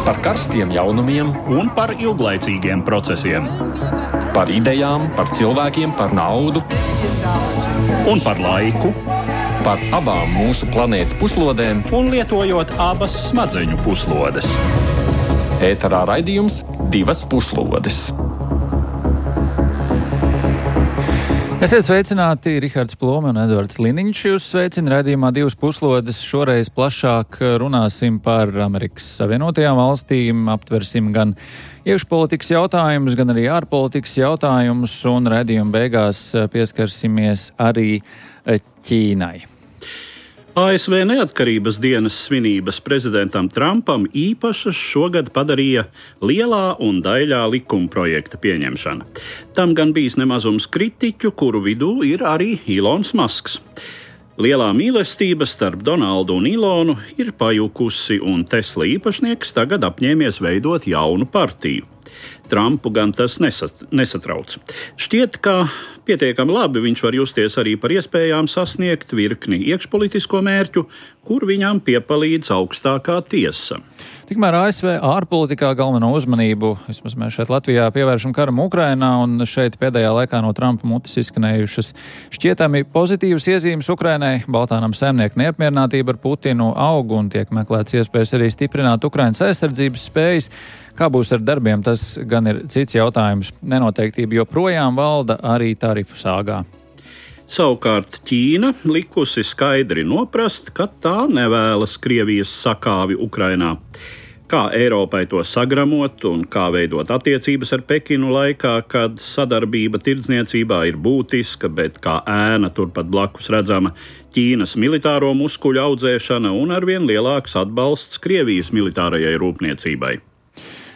Par karstiem jaunumiem un par ilglaicīgiem procesiem. Par idejām, par cilvēkiem, par naudu un par laiku. Par abām mūsu planētas puslodēm un lietojot abas smadzeņu puslodes. Ēterā raidījums Divas puslodes. Esiet sveicināti, Rihards Plome un Edvards Liniņš. Jūs sveicina raidījumā Divas puslodes. Šoreiz plašāk runāsim par Amerikas Savienotajām valstīm, aptversim gan iekšpolitikas jautājumus, gan arī ārpolitikas jautājumus, un raidījuma beigās pieskarsimies arī Ķīnai. ASV neatkarības dienas svinības prezidentam Trumpam īpašas šogad padarīja lielā un daļā likuma projekta pieņemšana. Tam gan bijis nemazums kritiķu, kuru vidū ir arī Ilons Masks. Lielā mīlestība starp Donaldu un Ilonu ir pajukusi, un Tesla īpašnieks tagad apņēmies veidot jaunu partiju. Trumpu gan tas nesatrauc. Šķiet, ka pietiekami labi viņš var justies arī par iespējām sasniegt virkni iekšpolitisko mērķu, kur viņam piepalīdz augstākā tiesa. Tikmēr ASV ārpolitikā galveno uzmanību, vismaz mēs šeit Latvijā, pievēršam karam Ukrainā, un šeit pēdējā laikā no Trumpa mutes izskanējušas šķietami pozitīvas iezīmes Ukrainai. Baltānam saimnieku neapmierinātība ar Putinu aug un tiek meklēts iespējas arī stiprināt Ukrainas aizsardzības spējas. Kā būs ar darbiem, tas gan ir cits jautājums. Nenoteiktība joprojām valda arī tarifu sāgā. Savukārt Ķīna likusi skaidri noprast, ka tā nevēlas Krievijas sakāvi Ukrainā. Kā Eiropai to sagramot un kā veidot attiecības ar Pekinu laikā, kad sadarbība tirdzniecībā ir būtiska, bet kā ēna turpat blakus redzama Ķīnas militāro muskuļu audzēšana un arvien lielāks atbalsts Krievijas militārajai rūpniecībai.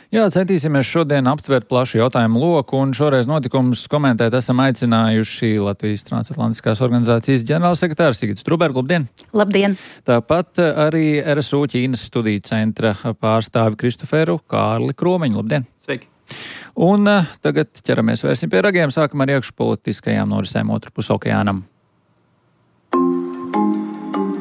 Jā, centīsimies šodien aptvert plašu jautājumu loku, un šoreiz notikumus komentēt esam aicinājuši Latvijas Transatlantiskās organizācijas ģenerālsekretārs Sigits Truberg. Labdien! Labdien! Tāpat arī RSU Ķīnas studiju centra pārstāvi Kristoferu Kārli Kromiņu. Labdien! Sveiki! Un tagad ķeramies vērsim pie ragiem, sākam ar iekšpolitiskajām norisēm otrpus okeānam.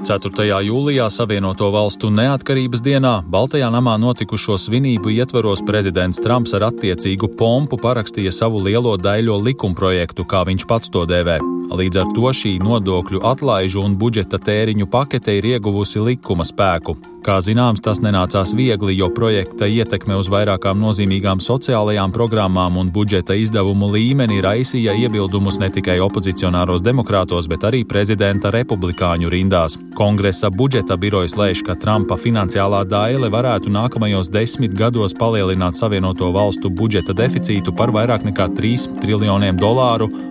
4. jūlijā Savienoto valstu neatkarības dienā Baltajā namā notikušo svinību ietvaros prezidents Trumps ar attiecīgu pompu parakstīja savu lielo daļo likumprojektu, kā viņš pats to dēvē. Līdz ar to šī nodokļu atlaižu un budžeta tēriņu pakete ir ieguvusi likuma spēku. Kā zināms, tas nenācās viegli, jo projekta ietekme uz vairākām nozīmīgām sociālajām programmām un budžeta izdevumu līmeni raisīja iebildumus ne tikai opozicionāros demokrātos, bet arī prezidenta republikāņu rindās. Kongresa budžeta birojas lēš, ka Trumpa finansiālā daile varētu nākamajos 10 gados palielināt Savienoto valstu budžeta deficītu par vairāk nekā $3 triljoniem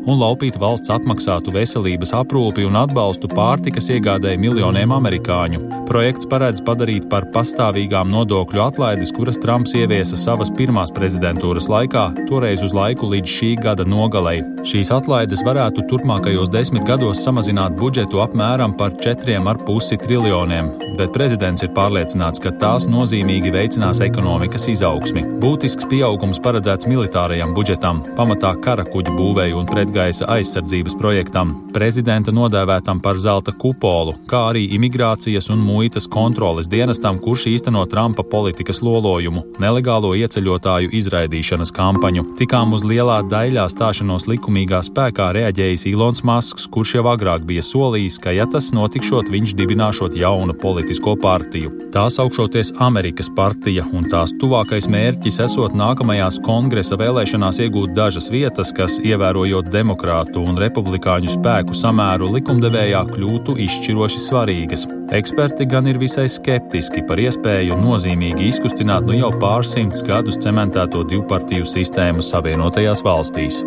un laupīt valsts atmaksātu veselības aprūpi un atbalstu pārtikas iegādēji miljoniem amerikāņu. Projekts paredz padarīt par pastāvīgām nodokļu atlaides, kuras Trumps ieviesa savas pirmās prezidentūras laikā, toreiz uz laiku līdz šī gada nogalei. Šīs atlaides varētu turpmākajos 10 gados samazināt budžetu apmēram par 4,5 triljoniem, bet prezidents ir pārliecināts, ka tās nozīmīgi veicinās ekonomikas izaugsmi. Būtisks pieaugums paredzēts militārajam budžetam, pamatā karakuģu būvēju un pretgaisa aizsardzības projektam, prezidenta nodēvētam par zelta kupolu, kā arī imigrācijas un muitas kontroles dienestam, kurš īsteno Trumpa politikas lolojumu, nelegālo ieceļotāju izraidīšanas kampaņu. Tikām uz lielā daļā stāšanos likumīgā spēkā reaģējis Ilons Masks, kurš jau agrāk bija solījis, ka ja tas notikšot, viņš dibināšot jaunu politisko partiju. Tā saukšoties Amerikas partija, un tās tuvākais mērķis esot nākamajās kongresa vēlēšanās iegūt dažas vietas, kas, ievērojot demokrātu un republikāņu spēku samēru likumdevējā, kļūtu izšķiroši svarīgas. Eksperti gan ir visai skeptiski par iespēju nozīmīgi izkustināt jau pārsimts gadus cementēto divpartiju sistēmu Savienotajās valstīs.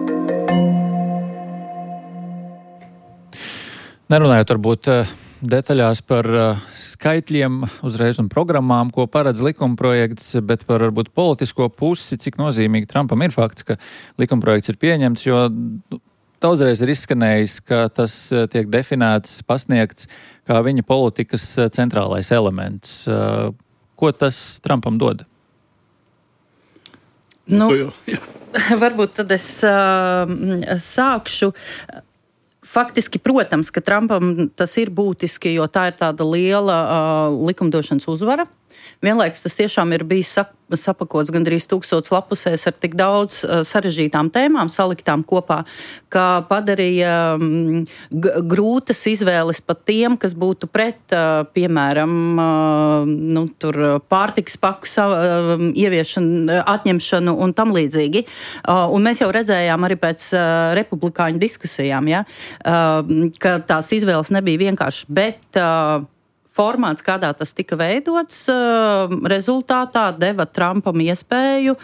Nerunājot varbūt detaļās par skaitļiem uzreiz un programmām, ko paredz likumprojekts, bet par varbūt politisko pusi, cik nozīmīgi Trumpam ir fakts, ka likumprojekts ir pieņemts, jo daudzreiz ir izskanējis, ka tas tiek definēts, pasniegts kā viņa politikas centrālais elements. Ko tas Trumpam dod? Varbūt tad es sākšu. Faktiski, protams, ka Trumpam tas ir būtiski, jo tā ir tāda liela likumdošanas uzvara. Vienlaikus tas tiešām ir bijis sapakots gandrīz 1000 lapusēs ar tik daudz sarežģītām tēmām saliktām kopā, ka padarīja grūtas izvēles pat tiem, kas būtu pret, piemēram, pārtikas paku ieviešanu, atņemšanu un tam līdzīgi. Un mēs jau redzējām arī pēc republikāņu diskusijām, ja, ka tās izvēles nebija vienkārši, bet formāts, kādā tas tika veidots, rezultātā deva Trumpam iespēju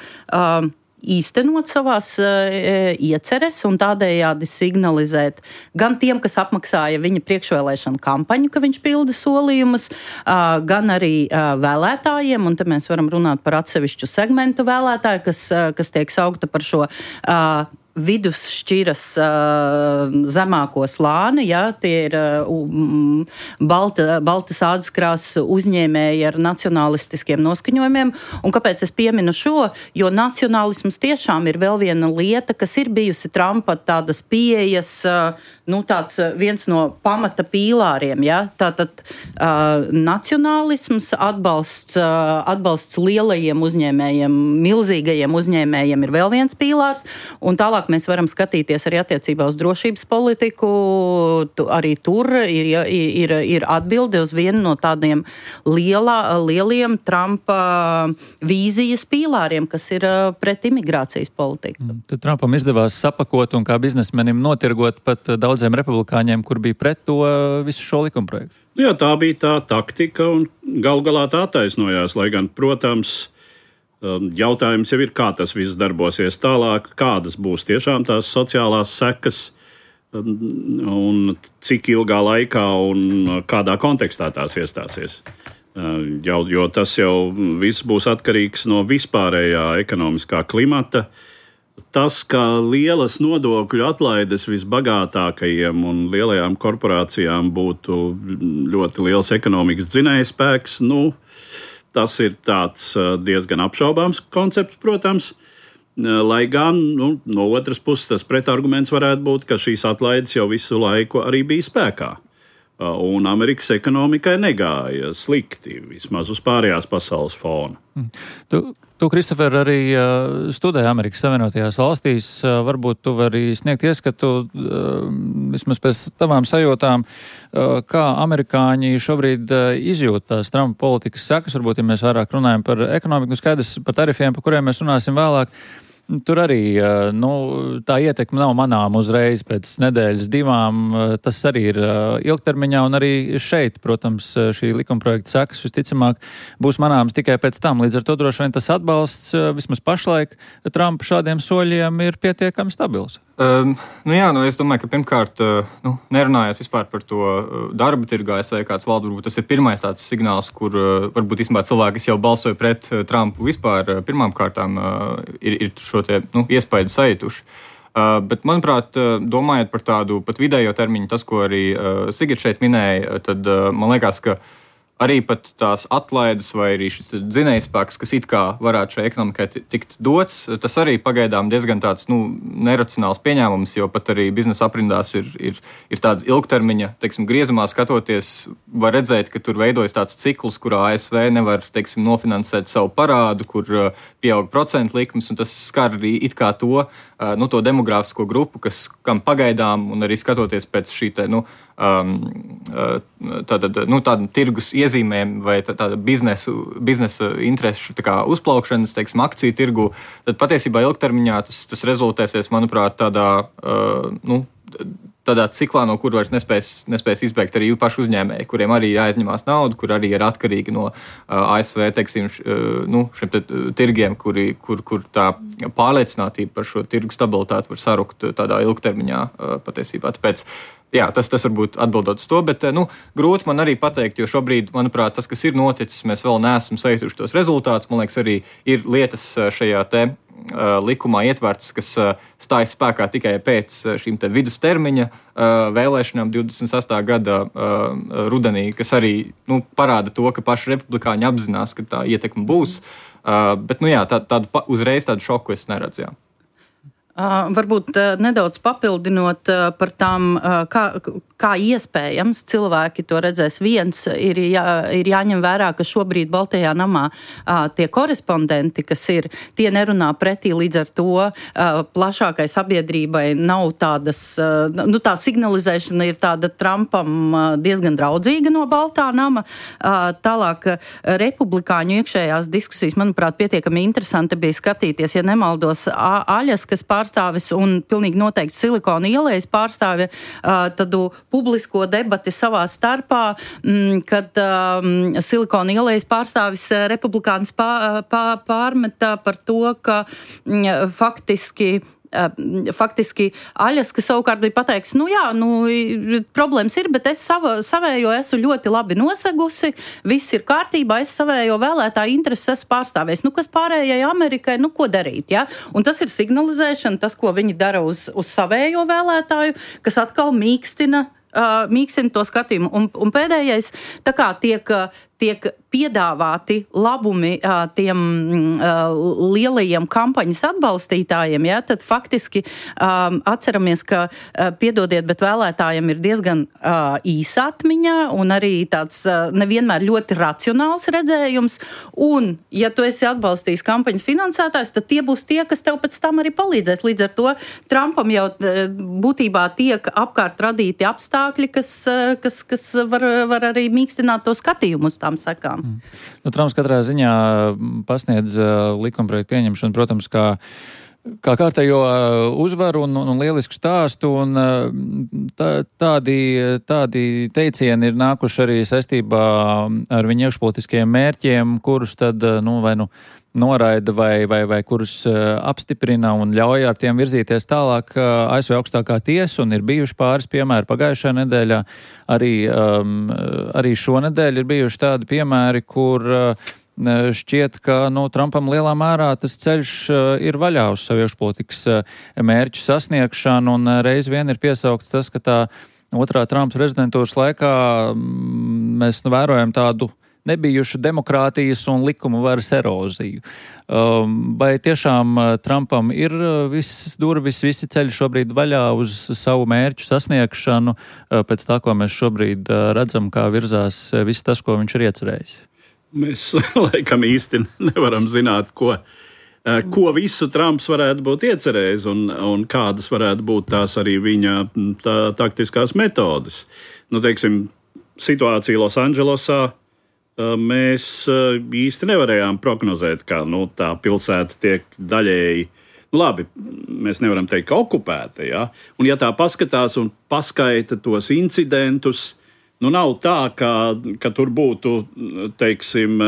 īstenot savās ieceres un tādējādi signalizēt gan tiem, kas apmaksāja viņa priekšvēlēšanu kampaņu, ka viņš pilda solījumus, gan arī vēlētājiem, un te mēs varam runāt par atsevišķu segmentu vēlētāju, kas tiek saukta par šo vidusšķiras zemāko slāni, ja, tie ir baltas ādaskrāsas uzņēmēji ar nacionalistiskiem noskaņojumiem. Un kāpēc es pieminu šo? Jo nacionālisms tiešām ir vēl viena lieta, kas ir bijusi Trumpa tādas pieejas, tāds viens no pamata pīlāriem. Ja. Tātad nacionālisms, atbalsts lielajiem uzņēmējiem, milzīgajiem uzņēmējiem ir vēl viens pīlārs, un tālāk mēs varam skatīties arī attiecībā uz drošības politiku. Arī tur ir atbilde uz vienu no tādiem lieliem Trumpa vīzijas pīlāriem, kas ir pret imigrācijas politiku. Tad Trumpam izdevās sapakot un kā biznesmenim notirgot pat daudziem republikāņiem, kur bija pret to visu šo likumprojektu. Jā, tā bija tā taktika un galu galā tā attaisnojās, lai gan, protams, jautājums jau ir, kā tas viss darbosies tālāk, kādas būs tiešām tās sociālās sekas un cik ilgā laikā un kādā kontekstā tās iestāsies. Jo tas jau viss būs atkarīgs no vispārējā ekonomiskā klimata. Tas, ka lielas nodokļu atlaides visbagātākajiem un lielajām korporācijām būtu ļoti liels ekonomikas dzinējspēks, tas ir tāds diezgan apšaubāms koncepts, protams, lai gan no otras puses tas pretarguments varētu būt, ka šīs atlaides jau visu laiku arī bija spēkā. Un Amerikas ekonomikai negāja slikti, vismaz uz pārējās pasaules fona. Tu Kristofer, arī studēji Amerikas Savienotajās valstīs. Varbūt tu vari sniegt ieskatu, vismaz pēc tavām sajūtām, kā amerikāņi šobrīd izjūt tās Trumpa politikas sekas. Varbūt, ja mēs vairāk runājam par ekonomiku, skaidrs par tarifiem, par kuriem mēs runāsim vēlāk. Tur arī tā ietekme nav manām uzreiz pēc nedēļas, divām. Tas arī ir ilgtermiņā, un arī šeit, protams, šī likumprojekta sekas visticamāk būs manāms tikai pēc tam. Līdz ar to droši vien tas atbalsts vismaz pašlaik Trumpa šādiem soļiem ir pietiekami stabils. Es domāju, ka pirmkārt, nerunājot vispār par to darba tirgu ASV, kāds valda, varbūt tas ir pirmais tāds signāls, kur varbūt īstenībā cilvēki, kas jau balsoja pret Trumpu vispār pirmām kārtām, ir šo te iespaidu sajutuši. Bet, manuprāt, domājot par tādu pat vidējo termiņu, tas, ko arī Sigita šeit minēja, tad man liekas, ka arī pat tās atlaides vai arī šis dzinējspēks, kas it kā varētu šai ekonomikai tikt dots, tas arī pagaidām diezgan tāds neracionāls pieņēmums, jo pat arī biznesa aprindās ir tāds ilgtermiņa, griezumā skatoties, var redzēt, ka tur veidojas tāds cikls, kurā ASV nevar, nofinansēt savu parādu, kur pieaug procentu likmes, un tas skar arī it kā to demogrāfisko grupu, kam pagaidām, un arī skatoties pēc šī tāda tirgus iezīmēm vai tāda biznesa interešu uzplaukšanas, akciju tirgu, tad patiesībā ilgtermiņā tas rezultēsies, manuprāt, tādā ciklā, no kur vairs nespēs izbēgt arī paši uzņēmēji, kuriem arī jāizņemās naudu, kur arī ir atkarīgi no ASV, šiem tirgiem, kur tā pārliecinātība par šo tirgu stabilitāti var sarukt tādā ilgtermiņā patiesībā. Tāpēc, tas varbūt atbildot uz to, bet grūti man arī pateikt, jo šobrīd, manuprāt, tas, kas ir noticis, mēs vēl neesam sajutuši tos rezultātus. Man liekas, arī ir lietas šajā likumā ietverts, kas stājas spēkā tikai pēc šīm vidustermiņa vēlēšanām 28. gada rudenī, kas arī parāda to, ka paši republikāņi apzinās, ka tā ietekme būs. Bet, tādu uzreiz tādu šoku es neredzu. Varbūt nedaudz papildinot par tām, kā iespējams cilvēki to redzēs. Viens ir jāņem vērā, ka šobrīd Baltajā namā tie korespondenti, kas ir, tie nerunā pretī, līdz ar to plašākai sabiedrībai nav tādas, tā signalizēšana ir tāda Trumpam diezgan draudzīga no Baltā nama. Tālāk republikāņu iekšējās diskusijas, manuprāt, pietiekami interesanti bija skatīties, ja nemaldos, Aļaskas pārstāvis un pilnīgi noteikti Silikona ielas pārstāvi tādu publisko debati savā starpā, kad Silikona ielas pārstāvis republikānis pārmeta par to, ka faktiski Aļaska savukārt bija pateiks, problēmas ir, bet es savējo esmu ļoti labi nosegusi, viss ir kārtībā, es savējo vēlētāju intereses esmu pārstāvējis. Kas pārējai Amerikai, ko darīt, ja? Un tas ir signalizēšana, tas, ko viņi dara uz savējo vēlētāju, kas atkal mīkstina to skatījumu. Un pēdējais, tā kā tiek piedāvāti labumi tiem lielajiem kampaņas atbalstītājiem, ja, tad faktiski atceramies, ka, piedodiet, bet vēlētājiem ir diezgan īsa atmiņa un arī tāds nevienmēr ļoti racionāls redzējums. Un, ja tu esi atbalstījis kampaņas finansētājs, tad tie būs tie, kas tev pēc tam arī palīdzēs. Līdz ar to Trumpam jau būtībā tiek apkārt radīti apstākļi, kas var arī mīkstināt to skatījumu uz tām sekām. Trumps katrā ziņā pasniedz likumprojektu pieņemšanu, protams, kā kārtējo uzvaru un lielisku stāstu, un tādi teicieni ir nākuši arī saistībā ar viņa iekšpolitiskajiem mērķiem, kurus tad, vai noraida vai kurus apstiprina un ļauj ar tiem virzīties tālāk ASV augstākā tiesa, un ir bijuši pāris piemēri pagājušajā nedēļā. Arī šonedēļ ir bijuši tādi piemēri, kur šķiet, ka Trumpam lielā mērā tas ceļš ir vaļā uz savu iekšpolitikas mērķu sasniegšanu, un reiz vien ir piesaukts tas, ka tā otrā Trumpa prezidentūras laikā mēs vērojam tādu nebijušu demokrātijas un likuma varas eroziju. Vai tiešām Trumpam ir visas durvis, visi ceļi šobrīd vaļā uz savu mērķu sasniegšanu, pēc tā, ko mēs šobrīd redzam, kā virzās viss tas, ko viņš ir iecerējis? Mēs laikam īsti nevaram zināt, ko visu Trumps varētu būt iecerējis un kādas varētu būt tās arī viņa taktiskās metodes. Teiksim, situācija Losandželosā mēs īsti nevarējām prognozēt, kā tā pilsēta tiek daļēji, labi, mēs nevaram teikt, ka okupēta, ja? Un ja tā paskatās un paskaita tos incidentus, nav tā, ka tur būtu, teiksim,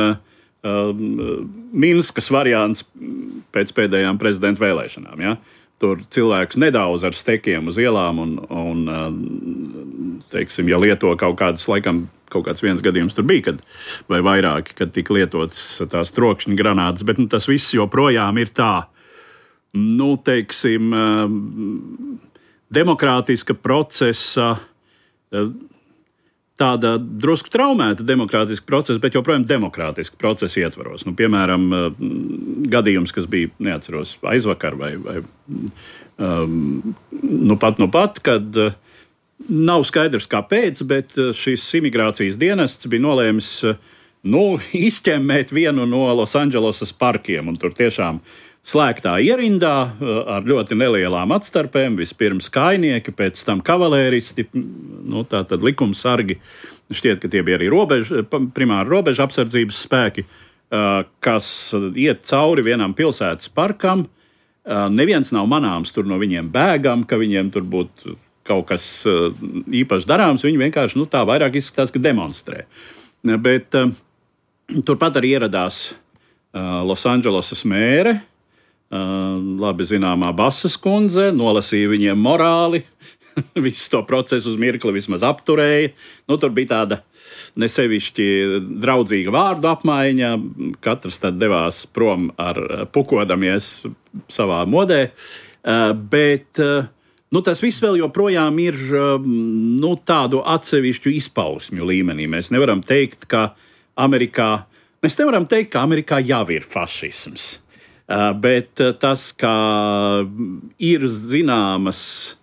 Minskas variants pēc pēdējām prezidenta vēlēšanām, ja? Tur cilvēks nedaudz ar stekiem uz ielām un teiksim, ja lieto kaut kāds viens gadījums tur bija, vai vairāki, kad tika lietotas tās trokšņa granātas, bet tas viss joprojām ir tā, teiksim, demokrātiska procesa, tāda drusku traumēta demokrātiska procesa, bet joprojām demokrātiska procesa ietvaros. Piemēram, gadījums, kas bija, neatceros, aizvakar vai pat, kad nav skaidrs kāpēc, bet šis imigrācijas dienests bija nolēmis izķemmēt vienu no Losandželosas parkiem, un tur tiešām slēgtā ierindā ar ļoti nelielām atstarpēm, vispirms kājnieki, pēc tam kavalēristi, tātad likumsargi, šķiet, ka tie bija arī primāri robežu apsardzības spēki, kas iet cauri vienam pilsētas parkam. Neviens nav manāms tur no viņiem bēgam, ka viņiem tur būtu kaut kas īpaši darāms, viņi vienkārši tā vairāk izskatās, ka demonstrē. Bet turpat arī ieradās Losandželosas mēre, labi zināmā Basas kundze, nolasīja viņiem morāli, visu to procesu uz mirkli vismaz apturēja. Tur bija tāda nesevišķi draudzīga vārdu apmaiņa, katrs tad devās prom ar pukodamies savā modē, bet tas viss vēl joprojām ir tādu atsevišķu izpausmju līmenī. Mēs nevaram teikt, ka Amerikā jau ir fašisms. Bet tas, kā ir zināmas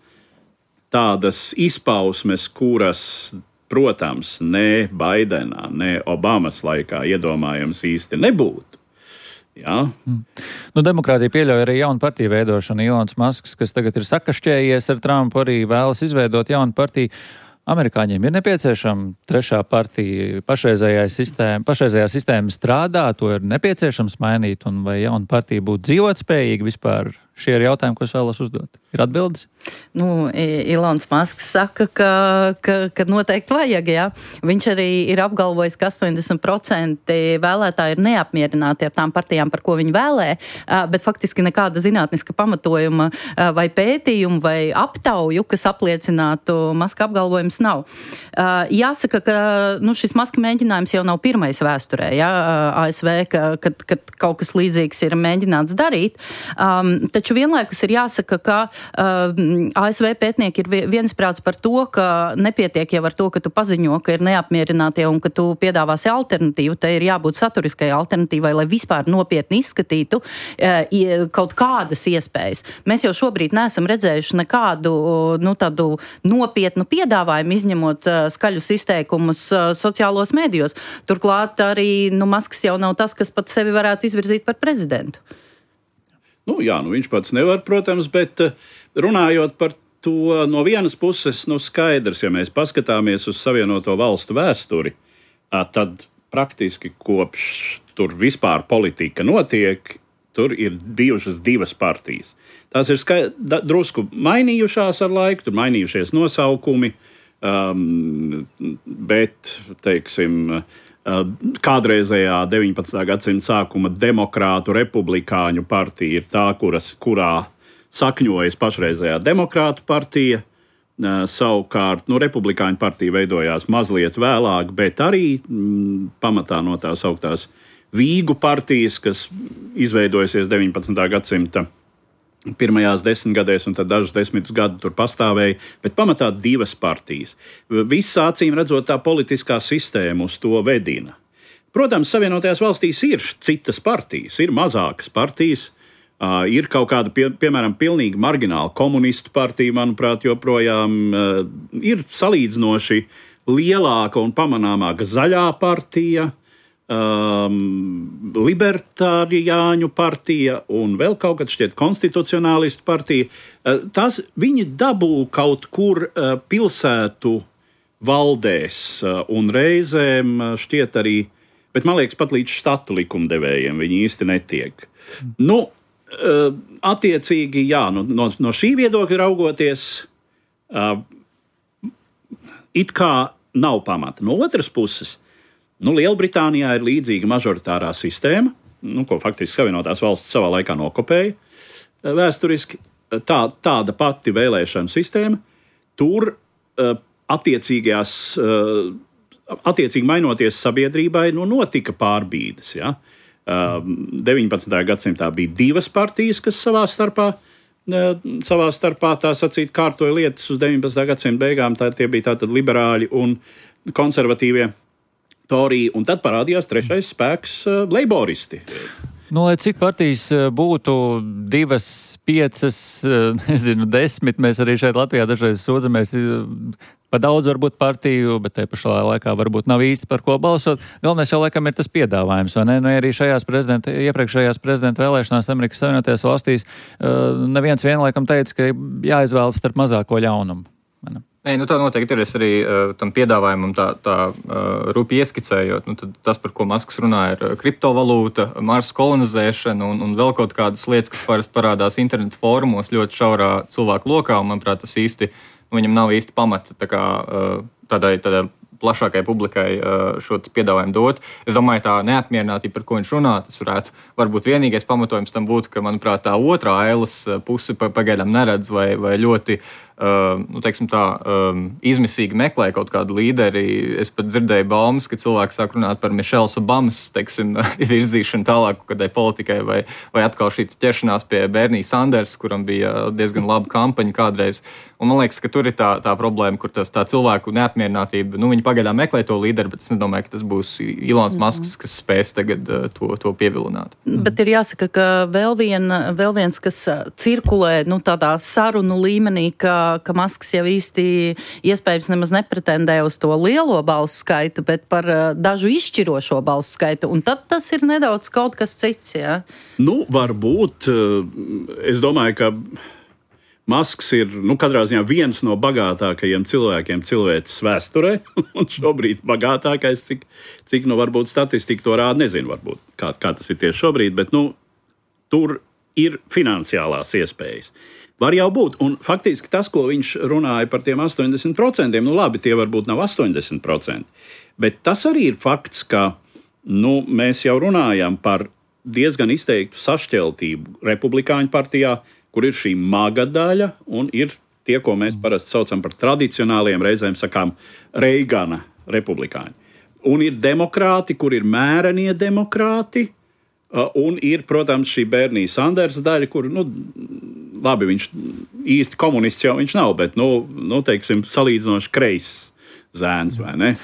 tādas izpausmes, kuras, protams, ne Baidenā, ne Obamas laikā iedomājams īsti nebūtu. Jā. Demokrātija pieļauj arī jaunu partiju veidošanu. Ilons Masks, kas tagad ir sakašķējies ar Trumpu, arī vēlas izveidot jaunu partiju. Amerikāņiem ir nepieciešama trešā partija. Pašreizējā sistēma strādā, to ir nepieciešams mainīt, un vai jauna partija būtu dzīvotspējīga vispār? Šie ir jautājumi, ko es vēlos uzdot. Ir atbildes? Ilons Masks saka, ka noteikti vajag, jā. Viņš arī ir apgalvojis, ka 80% vēlētāji ir neapmierināti ar tām partijām, par ko viņi vēlē, bet faktiski nekāda zinātniska pamatojuma vai pētījuma vai aptauju, kas apliecinātu Maska apgalvojums nav. Jāsaka, ka šis Maska mēģinājums jau nav pirmais vēsturē, jā, ASV, kad kaut kas līdzīgs ir mēģināts darīt. Taču vienlaikus ir jāsaka, ka ASV pētnieki ir viensprāts par to, ka nepietiek jau ar to, ka tu paziņo, ka ir neapmierinātie un ka tu piedāvāsi alternatīvu. Te ir jābūt saturiskai alternatīvai, lai vispār nopietni izskatītu kaut kādas iespējas. Mēs jau šobrīd neesam redzējuši nekādu tādu nopietnu piedāvājumu, izņemot skaļus izteikumus sociālos medijos. Turklāt arī Masks jau nav tas, kas pat sevi varētu izvirzīt par prezidentu. Viņš pats nevar, protams, bet runājot par to no vienas puses, skaidrs, ja mēs paskatāmies uz Savienoto Valstu vēsturi, tad praktiski kopš tur vispār politika notiek, tur ir bijušas divas partijas. Tās ir drusku mainījušās ar laiku, tur mainījušies nosaukumi, bet, teiksim, kādreizējā 19. gadsimta sākuma demokrātu republikāņu partija ir tā, kurā sakņojas pašreizējā demokrātu partija. Savukārt, republikāņu partija veidojās mazliet vēlāk, bet arī pamatā no tās augtās Vīgu partijas, kas izveidojusies 19. gadsimta pirmajās 10 gadēs, un tad dažus 10 gadus tur pastāvēja, bet pamatā divas partijas. Visa acīm redzot, tā politiskā sistēma uz to vedina. Protams, Savienotajās valstīs ir citas partijas, ir mazākas partijas, ir kaut kāda, piemēram, pilnīgi margināla komunistu partija, manuprāt, joprojām ir salīdzinoši lielāka un pamanāmāka zaļā partija, libertāriāņu partija un vēl kaut kad šķiet konstitucionālistu partija. Viņi dabū kaut kur pilsētu valdēs un reizēm šķiet arī, bet man liekas pat līdz štatu likumdevējiem viņi īsti netiek. Attiecīgi, jā, no šī viedokļa raugoties, it kā nav pamata. No otras puses, Lielbritānijā ir līdzīga mažoritārā sistēma, ko faktiski Savienotās valstis savā laikā nokopēja vēsturiski. Tāda pati vēlēšanu sistēma. Tur attiecīgi mainoties sabiedrībai, notika pārbīdes. Ja? 19. gadsimtā bija divas partijas, kas savā starpā tā sacīt kārtoja lietas uz 19. gadsimta beigām. Tie bija tātad liberāļi un konservatīvie Torija, un tad parādījās trešais spēks leiboristi. Lai cik partijas būtu 2, 5, 10, mēs arī šeit Latvijā dažreiz sūdzamies pa daudz varbūt partiju, bet te pašā laikā varbūt nav īsti par ko balsot. Galvenais jau laikam ir tas piedāvājums, vai ne? Arī iepriekšējās prezidenta vēlēšanās Amerikas Savienotajās valstīs neviens vienlaikam teica, ka jāizvēlas starp mazāko ļaunumu. Tā noteikti ir. Es arī tam piedāvājumam tā rupi ieskicējot. Tas, par ko Masks runā, ir kriptovalūta, Marsa kolonizēšana un vēl kaut kādas lietas, kas parasti parādās interneta fórumos ļoti šaurā cilvēku lokā. Un, manuprāt, tas īsti, viņam nav īsti pamata tādai plašākai publikai šo piedāvājumu dot. Es domāju, tā neapmierinātība, par ko viņš runā, tas varbūt vienīgais pamatojums tam būtu, ka, manuprāt, tā otrā ailes puse pagaidām neredz vai ļoti teiksim tā, izmisīgi meklē kaut kādu līderi. Es pat dzirdēju baumas, ka cilvēki sāk runāt par Mišels Obamas, teiksim, virzīšanu tālāk kādai politikai, vai atkal šī ķeršanās pie Bernija Sanders, kuram bija diezgan laba kampaņa kādreiz. Un man liekas, ka tur ir tā problēma, kur tā cilvēku neapmierinātība, viņi pagaidām meklē to līderi, bet es nedomāju, ka tas būs Ilons Masks, kas spēs tagad to pievilināt. Bet ir jāsaka, ka vēl viens, kas cirkulē, tādā sarunu līmenī, ka Masks jau īsti iespējams nemaz nepretendē uz to lielo balsu skaitu, bet par dažu izšķirošo balsu skaitu, un tad tas ir nedaudz kaut kas cits, jā? Varbūt. Es domāju, ka Masks ir, katrā ziņā viens no bagātākajiem cilvēkiem cilvēces vēsturē, un šobrīd bagātākais, cik varbūt statistika to rāda, nezinu, varbūt, kā tas ir tieši šobrīd, bet, tur ir finansiālās iespējas. Var jau būt, un faktiski tas, ko viņš runāja par tiem 80%, labi, tie varbūt nav 80%, bet tas arī ir fakts, ka, mēs jau runājam par diezgan izteiktu sašķeltību republikāņu partijā, kur ir šī maga daļa, un ir tie, ko mēs parasti saucam par tradicionāliem, reizēm sakām, Reigana republikāņi. Un ir demokrāti, kur ir mērenie demokrāti, un ir, protams, šī Bernija Sanders daļa, kur, labi, viņš īsti komunists jau viņš nav, bet, teiksim, salīdzinoši kreis zēns, vai ne?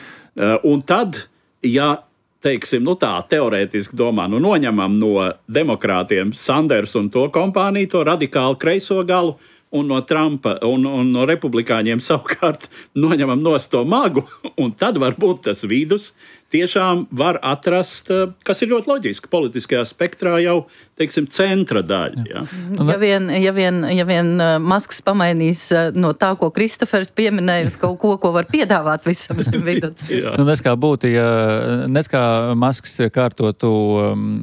Un tad, ja teiksim, tā teorētiski domā, noņemam no demokrātiem Sanders un to kompāniju, to radikāli kreiso galu, un no Trumpa un no republikāņiem savukārt noņemam nost to magu, un tad varbūt tas vidus tiešām var atrast, kas ir ļoti loģiski, politiskajā spektrā jau, teiksim, centra daļa. Ja, ja vien Masks pamainīs no tā, ko Kristofers pieminēja, uz kaut ko var piedāvāt visam šim vidus. Nes kā Masks kārtotu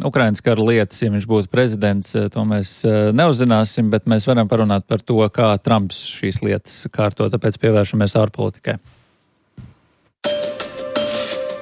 Ukrainas kara lietas, ja viņš būtu prezidents, to mēs neuzzināsim, bet mēs varam parunāt par to, kā Trumps šīs lietas kārto, tāpēc pievēršamies ārpolitikai.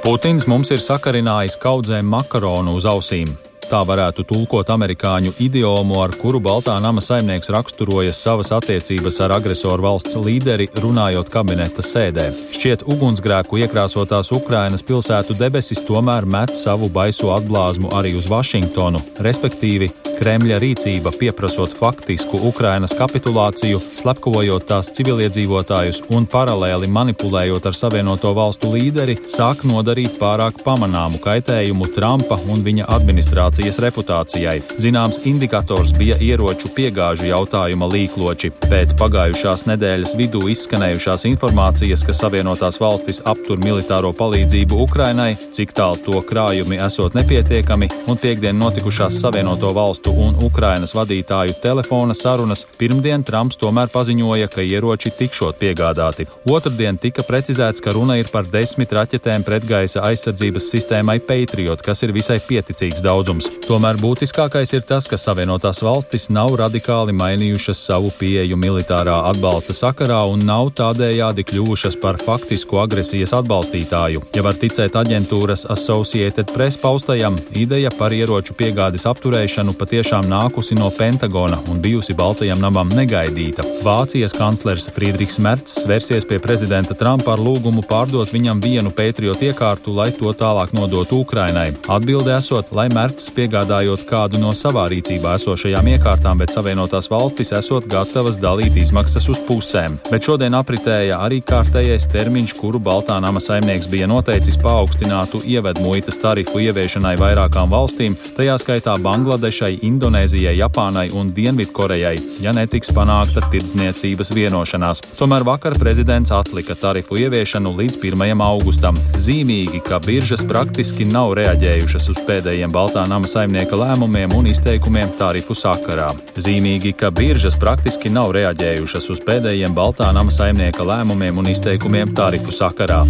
Putins mums ir sakarinājis kaudzēm makaronu uz ausīm. Tā varētu tulkot amerikāņu idiomu, ar kuru Baltā nama saimnieks raksturojas savas attiecības ar agresoru valsts līderi, runājot kabineta sēdē. Šķiet, ugunsgrēku iekrāsotās Ukrainas pilsētu debesis tomēr met savu baiso atblāzmu arī uz Vašingtonu, respektīvi Kremļa rīcība pieprasot faktisku Ukrainas kapitulāciju, slepkavojot tās civiliedzīvotājus un paralēli manipulējot ar Savienoto valstu līderi, sāk nodarīt pārāk pamanāmu kaitējumu Trumpa un viņa administrācijas reputācijai. Zināms indikators bija ieroču piegāžu jautājuma līkloči. Pēc pagājušās nedēļas vidū izskanējušās informācijas, ka Savienotās valstis aptur militāro palīdzību Ukrainai, cik tālu to krājumi esot nepietiekami, un piektdien notikušās Savienoto valstu un Ukrainas vadītāju telefona sarunas, pirmdien Trumps tomēr paziņoja, ka ieroči tikšot piegādāti. Otrdien tika precizēts, ka runa ir par 10 raķetēm pretgaisa aizsardzības sistēmai Patriot, kas ir visai pieticīgs daudzums. Tomēr būtiskākais ir tas, ka Savienotās valstis nav radikāli mainījušas savu pieeju militārā atbalsta sakarā un nav tādējādi kļuvušas par faktisku agresijas atbalstītāju. Ja var ticēt aģentūras Associated Press paustajam, ideja par ieroču piegādes apturēšanu patiešām nākusi no Pentagona un bijusi Baltajam namam negaidīta. Vācijas kanclers Friedrichs Merts vērsies pie prezidenta Trumpa ar lūgumu pārdot viņam vienu Patriot iekārtu, lai to tālāk nodotu Ukrainai. Atbilde esot, lai Merts piegādājot kādu no savā rīcībā esošajām iekārtām, bet Savienotās valstis esot gatavas dalīt izmaksas uz pusēm. Bet šodien apritēja arī kārtējais termiņš, kuru Baltā nama saimnieks bija noteicis paaugstinātu ievedmuitas tarifu ieviešanai vairākām valstīm, tajā skaitā Bangladešai, Indonēzijai, Japānai un Dienvidkorejai, ja netiks panākta tirdzniecības vienošanās. Tomēr vakar prezidents atlika tarifu ieviešanu līdz 1. augustam. Zīmīgi, ka biržas praktiski nav reaģējušas uz pēdējiem Baltā nama saimnieka lēmumiem un izteikumiem tarifu sakarā. Zīmīgi, ka biržas praktiski nav reaģējušas uz pēdējiem Baltā nama saimnieka lēmumiem un izteikumiem tarifu sakarā.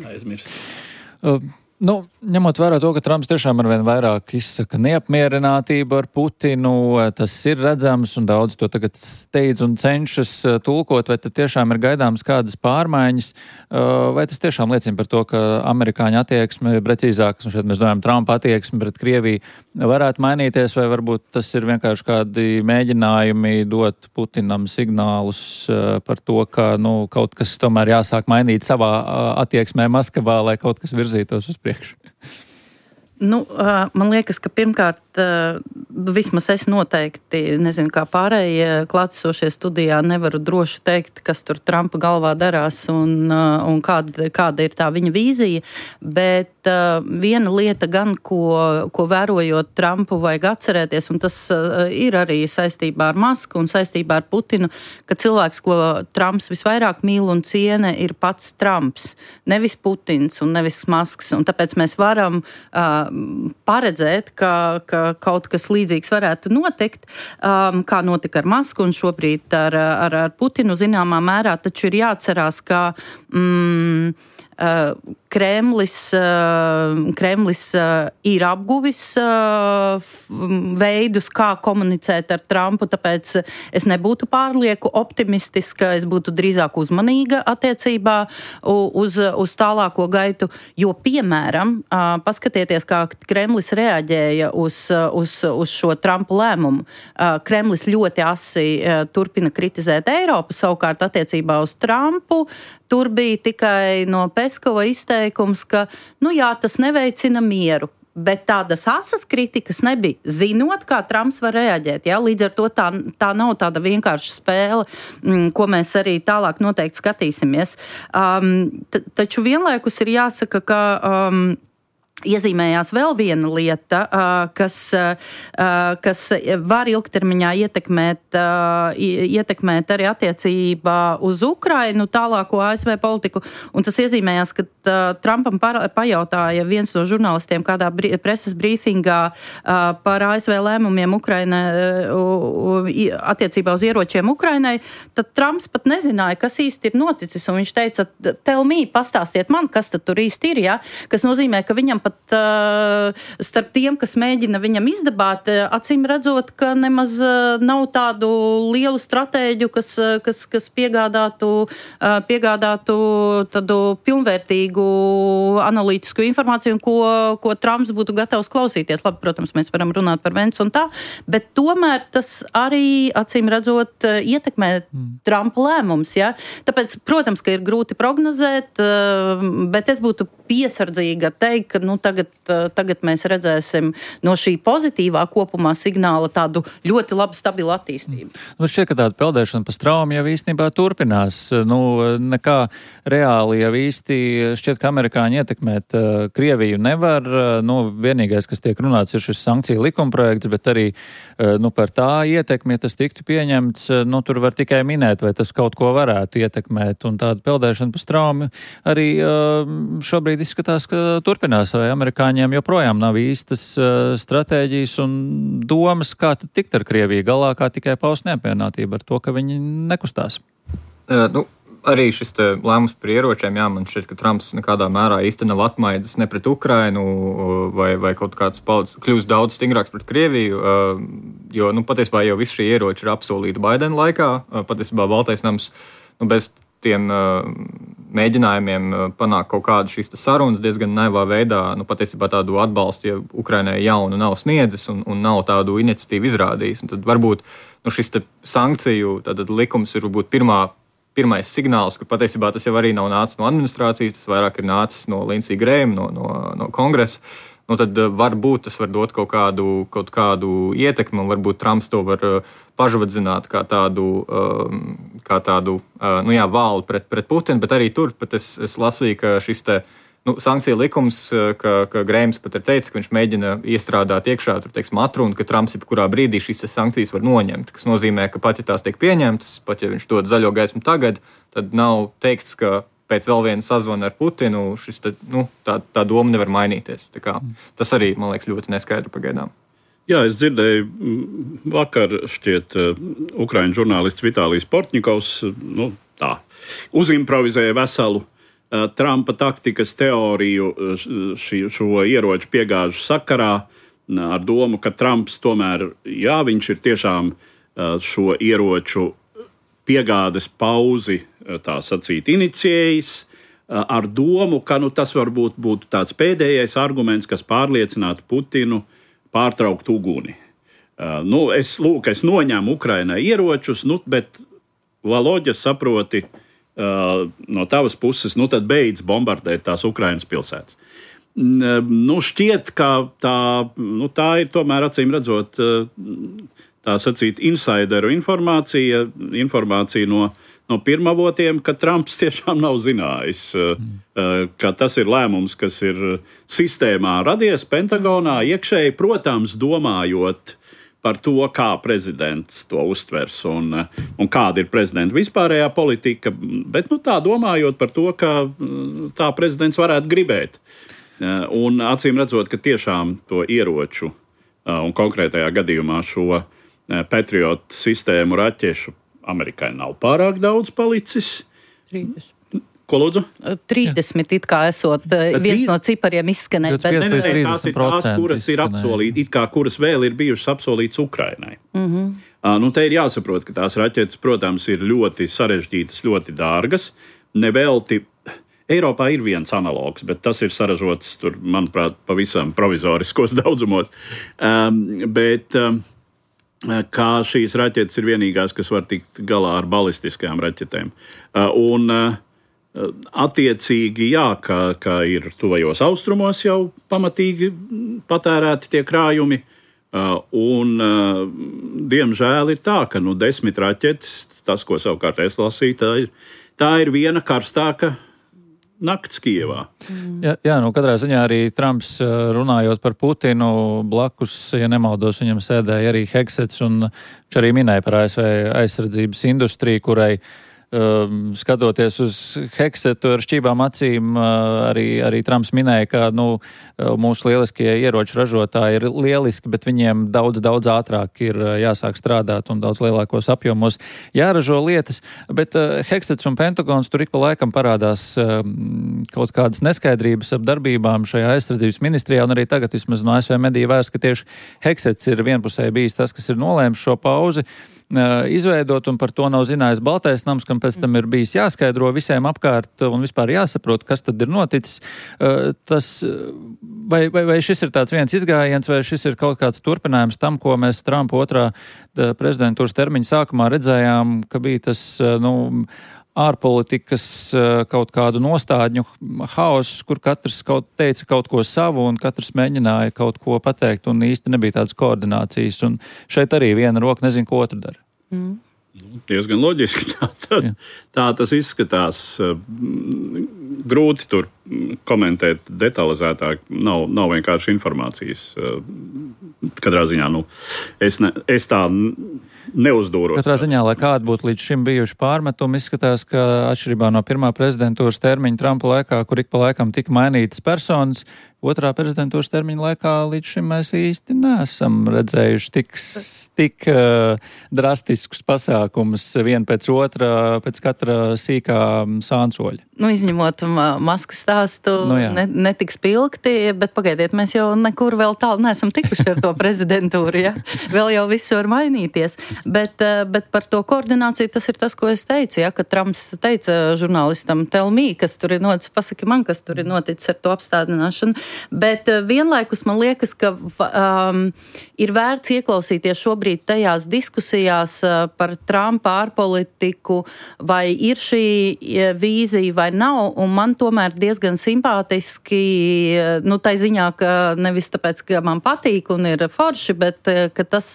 Aizmirst. Ņemot vērā to, ka Trumps tiešām arvien vairāk izsaka neapmierinātību ar Putinu, tas ir redzams un daudz to tagad steidz un cenšas tulkot, vai tad tiešām ir gaidāms kādas pārmaiņas, vai tas tiešām liecina par to, ka amerikāņu attieksme, precīzāk, un šeit mēs domājam Trumpa attieksme pret Krieviju, varētu mainīties, vai varbūt tas ir vienkārši kādi mēģinājumi dot Putinam signālus par to, ka kaut kas tomēr jāsāk mainīt savā attieksmē Maskavā, lai kaut kas virzītos uz priekšu? Man liekas, ka pirmkārt, vismaz es noteikti, nezinu, kā pārējie klātesošie studijā, nevaru droši teikt, kas tur Trumpa galvā darās un kāda ir tā viņa vīzija, bet viena lieta gan, ko vērojot Trumpu vajag atcerēties, un tas ir arī saistībā ar Masku un saistībā ar Putinu, ka cilvēks, ko Trumps visvairāk mīl un ciena, ir pats Trumps, nevis Putins un nevis Masks, un tāpēc mēs varam paredzēt, ka kaut kas līdzīgs varētu notikt, kā notika ar Masku un šobrīd ar Putinu zināmā mērā, taču ir jāatcerās, ka Kremlis ir apguvis veidus, kā komunicēt ar Trumpu, tāpēc es nebūtu pārlieku optimistiska, es būtu drīzāk uzmanīga attiecībā uz tālāko gaitu, jo, piemēram, paskatieties, kā Kremlis reaģēja uz šo Trumpa lēmumu. Kremlis ļoti asi turpina kritizēt Eiropu, savukārt attiecībā uz Trumpu tur bija tikai no Peskova izteikums, ka, tas neveicina mieru. Bet tādas asas kritikas nebija, zinot, kā Trumps var reaģēt. Ja? Līdz ar to tā nav tāda vienkārša spēle, ko mēs arī tālāk noteikti skatīsimies. Taču vienlaikus ir jāsaka, ka iezīmējās vēl viena lieta, kas var ilgtermiņā ietekmēt arī attiecībā uz Ukrainu tālāko ASV politiku, un tas iezīmējās, ka Trumpam pajautāja viens no žurnālistiem kādā preses brīfingā par ASV lēmumiem Ukraina, attiecībā uz ieročiem Ukrainai, tad Trumps pat nezināja, kas īsti ir noticis, un viņš teica, tell me, pastāstiet man, kas tad tur īsti ir, ja? Kas nozīmē, ka viņam pat starp tiem, kas mēģina viņam izdabāt, acīm redzot, ka nemaz nav tādu lielu stratēģu, kas piegādātu tādu pilnvērtīgu analītisku informāciju, ko Trumps būtu gatavs klausīties. Labi, protams, mēs varam runāt par Vents un tā, bet tomēr tas arī, acīm redzot, ietekmē Trumpa lēmums. Ja? Tāpēc, protams, ka ir grūti prognozēt, bet es būtu piesardzīga teikt, ka tagad mēs redzēsim no šī pozitīvā kopumā signāla tādu ļoti labu stabilu attīstību. Šķiet, ka tāda peldēšana pa straumi jau īstenībā turpinās. Nekā reāli jau īsti šķiet, ka amerikāņi ietekmēt Krieviju nevar. Vienīgais, kas tiek runāts, ir šis sankciju likumprojekts, bet arī par tā ietekmi, ja tas tiktu pieņemts, tur var tikai minēt, vai tas kaut ko varētu ietekmēt. Un tāda peldēšana pa straumi arī šobrīd izskatās, ka turpinās, vai amerikāņiem joprojām nav īstas stratēģijas un domas, kā tad tikt ar Krieviju galā, kā tikai paust neapmierinātību ar to, ka viņi nekustās. Arī šis lēmums par ieročiem, man šķiet, ka Trumps nekādā mērā īsti nav atmaidzis ne pret Ukrainu vai kaut kāds kļūst daudz stingrāks pret Krieviju, jo patiesībā jau visi šie ieroči ir apsolīti Baidena laikā. Patiesībā Baltais nams bez tiem mēģinājumiem panākt kaut kādu šīs sarunas diezgan naivā veidā, patiesībā tādu atbalstu, ja Ukrainai jaunu nav sniedzis un nav tādu iniciatīvu izrādījis. Un tad varbūt šis sankciju likums ir varbūt pirmais signāls, kur patiesībā tas jau arī nav nācis no administrācijas, tas vairāk ir nācis no Lindsey Graham, no kongresa. Tad varbūt tas var dot kaut kādu ietekmi, un varbūt Trumps to var pažvadzināt kā tādu vālu pret Putinu, bet arī tur pat es lasīju, ka šis sankciju likums, ka Grahams pat ir teicis, ka viņš mēģina iestrādāt iekšā atrunu, ka Trumps jebkurā brīdī šīs sankcijas var noņemt, kas nozīmē, ka pat ja tās tiek pieņemtas, pat ja viņš dod zaļo gaismu tagad, tad nav teikts, ka pēc vēl viena sazvana ar Putinu tā doma nevar mainīties. Tas arī, man liekas, ļoti neskaidri pagaidām. Jā, es dzirdēju vakar, šķiet, ukraiņu žurnālists Vitālijs Portņikovs uzimprovizēja veselu Trumpa taktikas teoriju šo ieroču piegāžu sakarā ar domu, ka Trumps tomēr, jā, viņš ir tiešām šo ieroču piegādes pauzi, tā sacīt, inicijējis, ar domu, ka tas varbūt būtu tāds pēdējais arguments, kas pārliecinātu Putinu pārtraukt uguni. Es noņemu Ukrainai ieročus, bet Valoģa saproti no tavas puses, tad beidz bombardēt tās Ukrainas pilsētas. Šķiet, ka tā ir tomēr acīm redzot tā sacīt insideru informācija no pirmavotiem, ka Trumps tiešām nav zinājis, ka tas ir lēmums, kas ir sistēmā radies Pentagonā iekšēji, protams, domājot par to, kā prezidents to uztvers un kāda ir prezidenta vispārējā politika, bet tā domājot par to, ka tā prezidents varētu gribēt. Un acīm redzot, ka tiešām to ieroču un konkrētajā gadījumā šo Patriot sistēmu raķešu Amerikai nav pārāk daudz palicis. 30. Ko lūdzu? 30 it kā esot viens no cipariem izskanēt. Tās ir tās, kuras ir apsolītas, kuras vēl ir bijušas apsolītas Ukrainai. Te ir jāsaprot, ka tās raķetes, protams, ir ļoti sarežģītas, ļoti dārgas. Nevelti Eiropā ir viens analogs, bet tas ir saražots tur, manuprāt, pavisam provizoriskos daudzumos. Bet kā šīs raķetes ir vienīgās, kas var tikt galā ar balistiskajām raķetēm. Attiecīgi, jā, ka ir tuvajos austrumos jau pamatīgi patērēti tie krājumi, un diemžēl ir tā, ka 10 raķetes, tas, ko savukārt es lasīju, tā ir viena karstāka nakts Kijevā. Jā, katrā ziņā arī Trumps, runājot par Putinu, blakus, ja nemaldos, viņam sēdēja arī Hegsets, un viņš arī minēja par ASV aizsardzības industriju, kurai skatoties uz Hegsetu ar šķībām acīm, arī Trumps minēja, ka mūsu lieliskie ieroču ražotāji ir lieliski, bet viņiem daudz ātrāk ir jāsāk strādāt un daudz lielākos apjomos jāražo lietas. Bet Hegsets un Pentagons tur ik pa laikam parādās kaut kādas neskaidrības ap darbībām šajā aizsardzības ministrijā, un arī tagad vismaz no ASV mediju vērsts, ka tieši Hegsets ir vienpusēji bijis tas, kas ir nolēmis šo pauzi izveidot, un par to nav zinājis Baltais nams, kam pēc tam ir bijis jāskaidro visiem apkārt un vispār jāsaprot, kas tad ir noticis. Vai šis ir tāds viens izgājiens, vai šis ir kaut kāds turpinājums tam, ko mēs Trumpa otrā prezidentūras termiņa sākumā redzējām, ka bija tas, ārpolitikas kaut kādu nostādņu haoss, kur katrs teica kaut ko savu un katrs mēģināja kaut ko pateikt un īsti nebija tādas koordinācijas. Un šeit arī viena roka nezinu, ko otru dara. Diezgan loģiski. Tā tas izskatās. Grūti tur komentēt detalizētāk. Nav vienkārši informācijas. Katrā ziņā, es tā neuzdūros. Katrā ziņā, lai kādi būtu līdz šim bijuši pārmetumi, izskatās, ka atšķirībā no pirmā prezidentūras termiņa Trumpa laikā, kur ik pa laikam tika mainītas personas, otrā prezidentūras termiņa laikā līdz šim mēs īsti neesam redzējuši tik drastiskus pasākumus vien pēc otra, pēc katra sīkā sānsoļa. Izņemot Maskas stāstu, netik spilgti, bet pagaidiet, mēs jau nekur vēl tālu neesam tikuši ar to prezidentūru, ja? Vēl jau viss var mainīties. Bet par to koordināciju tas ir tas, ko es teicu, ja? Ka Trumps teica žurnālistam, tell me, kas tur ir noticis, pasaki man, kas tur ir noticis ar to apstādināšanu. Bet vienlaikus man liekas, ka ir vērts ieklausīties šobrīd tajās diskusijās par Trumpa ārpolitiku, vai ir šī vīzija vai nav, un man tomēr diezgan simpātiski, tai ziņā, ka nevis tāpēc, ka man patīk un ir forši, bet ka tas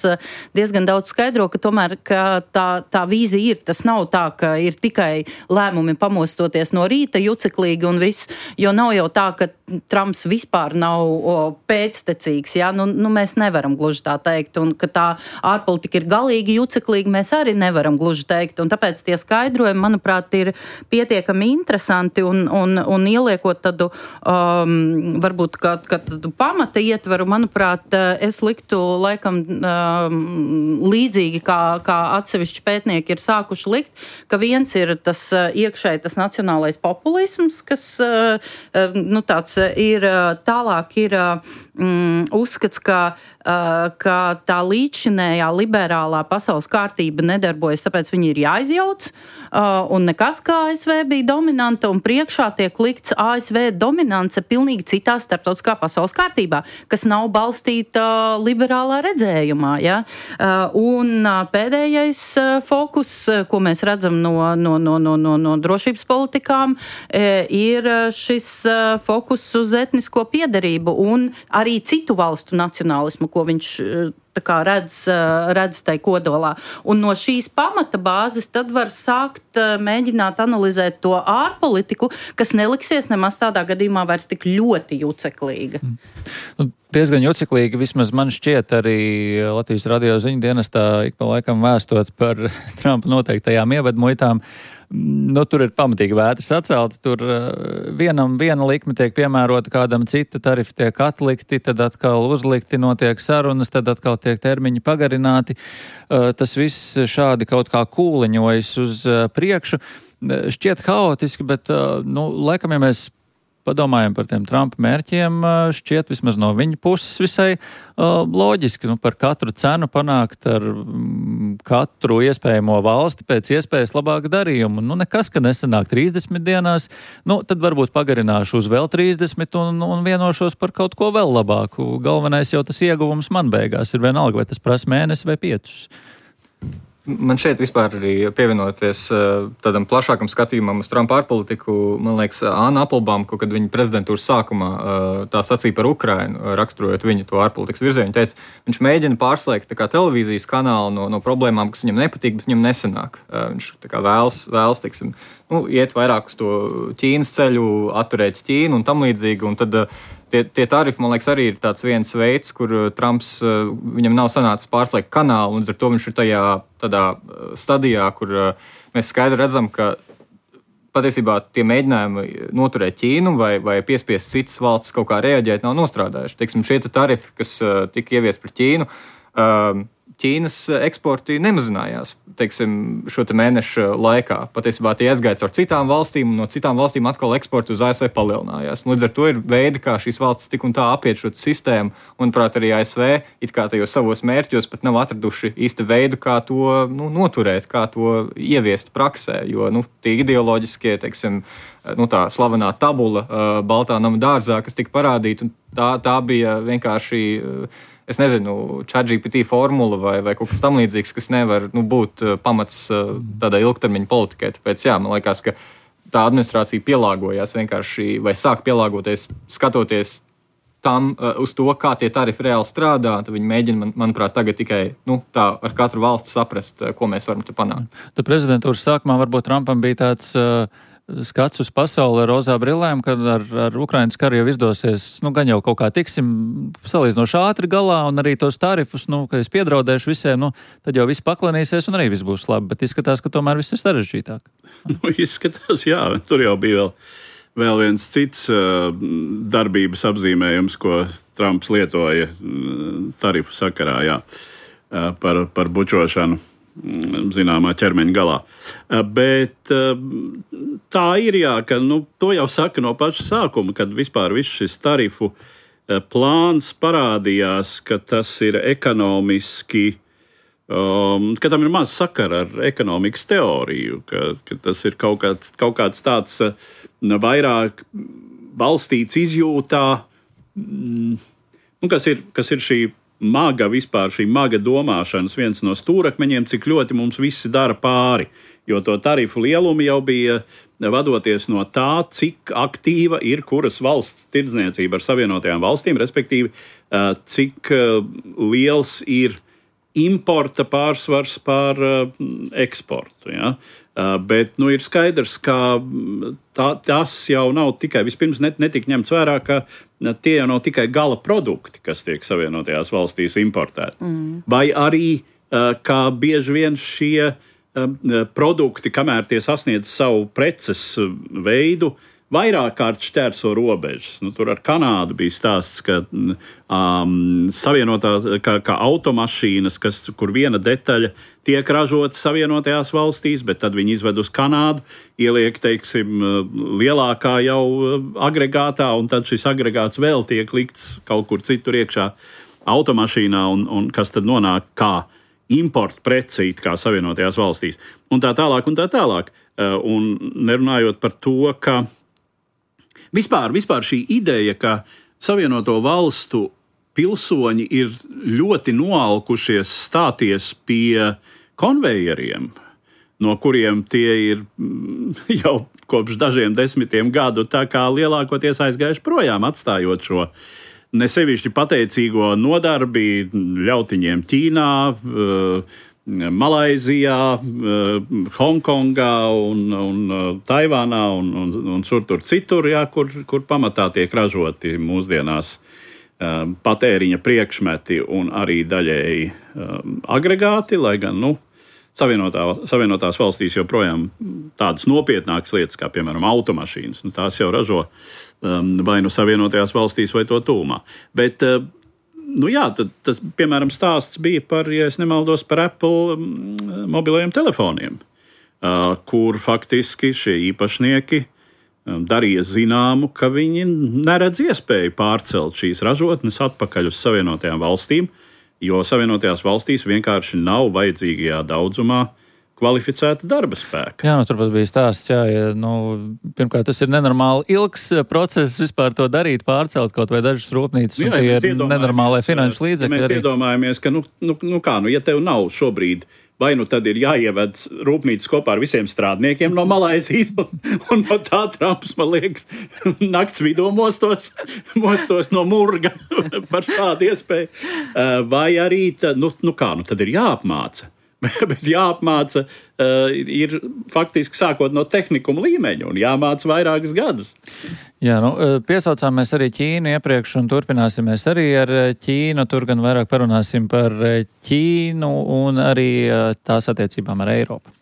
diezgan daudz skaidro, ka tomēr ka tā vīzija ir. Tas nav tā, ka ir tikai lēmumi pamostoties no rīta juceklīgi un viss, jo nav jau tā, ka Trumps vispār nav pēctecīgs. Ja? Mēs nevaram gluži tā teikt, un ka tā ārpolitika ir galīgi juceklīga, mēs arī nevaram gluži teikt, un tāpēc tie skaidrojumi, manuprāt, ir pietiekami interesanti un ieliekot tādu, varbūt tādu pamata ietvaru, manuprāt, es liktu laikam līdzīgi, kā atsevišķi pētnieki ir sākuši likt, ka viens ir tas iekšēji tas nacionālais populisms, kas tāds ir, tālāk ir uzskats, ka tā līdzšinējā liberālā pasaules kārtība nedarbojas, tāpēc viņi ir jāizjauc, un nekas kā ASV bija dominanta, un priekšā tiek likts ASV dominance pilnīgi citā starptautiskā pasaules kārtībā, kas nav balstīta liberālā redzējumā. Ja? Un pēdējais fokus, ko mēs redzam no drošības politikām, ir šis fokus uz etnisko piederību un arī citu valstu nacionālismu, ko viņš redz tai kodolā. Un no šīs pamata bāzes tad var sākt mēģināt analizēt to ārpolitiku, kas neliksies nemaz tādā gadījumā vairs tik ļoti juceklīga. Diezgan juceklīgi, vismaz man šķiet arī Latvijas radio ziņu dienestā ik pa laikam vēstot par Trumpa noteiktajām ievedmuitām. Tur ir pamatīgi vētras atcelta, tur vienam viena likme tiek piemērota, kādam cita tarifi tiek atlikti, tad atkal uzlikti, notiek sarunas, tad atkal tiek termiņi pagarināti. Tas viss šādi kaut kā kūliņojas uz priekšu. Šķiet haotiski, bet, laikam, ja mēs padomājam par tiem Trumpa mērķiem, šķiet vismaz no viņa puses visai loģiski, par katru cenu panākt ar katru iespējamo valsti pēc iespējas labāku darījumu. Nekas, ka nesanāk 30 dienās, tad varbūt pagarināšu uz vēl 30 un vienošos par kaut ko vēl labāku. Galvenais jau tas ieguvums man beigās ir vienalga, vai tas prasa mēnesi vai 5. Man šeit vispār arī pievienoties tādam plašākam skatījumam uz Trumpa ārpolitiku, man liekas, Anna Applebaum, kad viņa prezidentūras sākumā tā sacīja par Ukrainu, raksturojot viņu to ārpolitikas virzienu, teica, viņš mēģina pārslēgt televīzijas kanālu no problēmām, kas viņam nepatīk, bet viņam nesanāk. Viņš vēlas teiksim, iet vairāk uz to Ķīnas ceļu, atturēt Ķīnu un tam līdzīgi, un tad tie tarifi, man liekas, arī ir tāds viens veids, kur Trumps, viņam nav sanācis pārslēgt kanālu, un ar to viņš ir tādā stadijā, kur mēs skaidri redzam, ka patiesībā tie mēģinājumi noturēt Ķīnu vai piespiest citas valstis kaut kā reaģēt nav nostrādājuši. Teiksim, šie tarifi, kas tika ieviesti pret Ķīnu, Ķīnas eksporti nemazinājās, teiksim, šo mēnešu laikā. Patiesībā tie aizgāja caur citām valstīm, un no citām valstīm atkal eksporti uz ASV palielinājās. Līdz ar to ir veidi, kā šīs valstis tik un tā apiet šo sistēmu, un, manuprāt, arī ASV it kā tajos savos mērķos pat nav atraduši īsti veidu, kā to noturēt, kā to ieviest praksē, jo tie ideoloģiskie, teiksim, tā slavenā tabula Baltā nama dārzā, kas tika parādīta, tā bija vienkārši es nezinu, ChatGPT formula vai kaut kas tam līdzīgs, kas nevar būt pamats tādai ilgtermiņa politikai. Tāpēc, man liekas, ka tā administrācija pielāgojās vienkārši vai sāk pielāgoties, skatoties tam uz to, kā tie tarifi reāli strādā. Tad viņi mēģina, manuprāt, tagad tikai tā ar katru valsti saprast, ko mēs varam te panākt. Tad prezidentūras sākumā varbūt Trumpam bija tāds skats uz pasauli ar rozā brillēm, kad ar Ukrainas karu jau izdosies, gan jau kaut kā tiksim salīdzinoši ātri galā, un arī tos tarifus, ka es piedraudēšu visiem, tad jau viss paklanīsies un arī viss būs labi, bet izskatās, ka tomēr viss ir sarežģītāk. Izskatās, jā, tur jau bija vēl viens cits darbības apzīmējums, ko Trumps lietoja tarifu sakarā, par bučošanu zināmā ķermeņa galā. Bet tā ir, ka to jau saka no paša sākuma, kad vispār viss šis tarifu plāns parādījās, ka tas ir ekonomiski, ka tam ir maz sakara ar ekonomikas teoriju, ka tas ir kaut kāds tāds vairāk balstīts izjūtā, kas ir šī maga vispār, šī maga domāšanas viens no stūrakmeņiem, cik ļoti mums visi dara pāri. Jo to tarifu lielumu jau bija vadoties no tā, cik aktīva ir kuras valsts tirdzniecība ar Savienotajām valstīm, respektīvi, cik liels ir importa pārsvars pār eksportu. Ja? Bet ir skaidrs, ka tas jau nav tikai, vispirms netika ņemts vērā, ka tie jau nav tikai gala produkti, kas tiek Savienotajās valstīs importēti. Vai arī, kā bieži vien šie produkti, kamēr tie sasniedz savu preces veidu, vairāk kārt šķērso robežas. Tur ar Kanādu bija stāsts, ka savienotās, kā automašīnas, kur viena detaļa tiek ražota Savienotajās valstīs, bet tad viņi izved uz Kanādu, ieliek, teiksim, lielākā jau agregātā, un tad šis agregāts vēl tiek likts kaut kur citur iekšā automašīnā, un kas tad nonāk kā importa prece it kā Savienotajās valstīs. Un tā tālāk, un tā tālāk. Un nerunājot par to, ka Vispār šī ideja, ka Savienoto valstu pilsoņi ir ļoti noalkušies stāties pie konvejeriem, no kuriem tie ir jau kopš dažiem desmitiem gadu tā kā lielākoties aizgājuši projām, atstājot šo nesevišķi pateicīgo nodarbi ļautiņiem Ķīnā, Malaizijā, Hongkongā un Taivānā un tur citur, jā, kur pamatā tiek ražoti mūsdienās patēriņa priekšmeti un arī daļēji agregāti, lai gan, Savienotās valstīs joprojām tādas nopietnākas lietas, kā, piemēram, automašīnas, tās jau ražo vai Savienotajās valstīs vai to tūmā. Bet tas, piemēram, stāsts bija par, ja es nemaldos, par Apple mobilajiem telefoniem, kur faktiski šie īpašnieki darīja zināmu, ka viņi neredz iespēju pārcelt šīs ražotnes atpakaļ uz Savienotajām valstīm, jo Savienotajās valstīs vienkārši nav vajadzīgajā daudzumā kvalificēta darba spēka. Jā, turpat bija stāsts, pirmkārt, tas ir nenormāli ilgs process vispār to darīt, pārcelt kaut vai dažas rūpnīcas, un tie ir nenormālai finanšu līdzekļi. Mēs iedomājamies, ka, ja tev nav šobrīd, vai tad ir jāieved rūpnīcas kopā ar visiem strādniekiem no Malaizijas, un no tā Trumps, man liekas, nakts vidū mostos no murga par šādu iespēju. Vai arī, tad ir jāapmāca. Bet jāapmāca ir faktiski sākot no tehnikuma līmeņa un jāmāca vairākus gadus. Jā, piesaucām mēs arī Ķīnu iepriekš un turpināsimies arī ar Ķīnu. Tur gan vairāk parunāsim par Ķīnu un arī tās attiecībām ar Eiropu.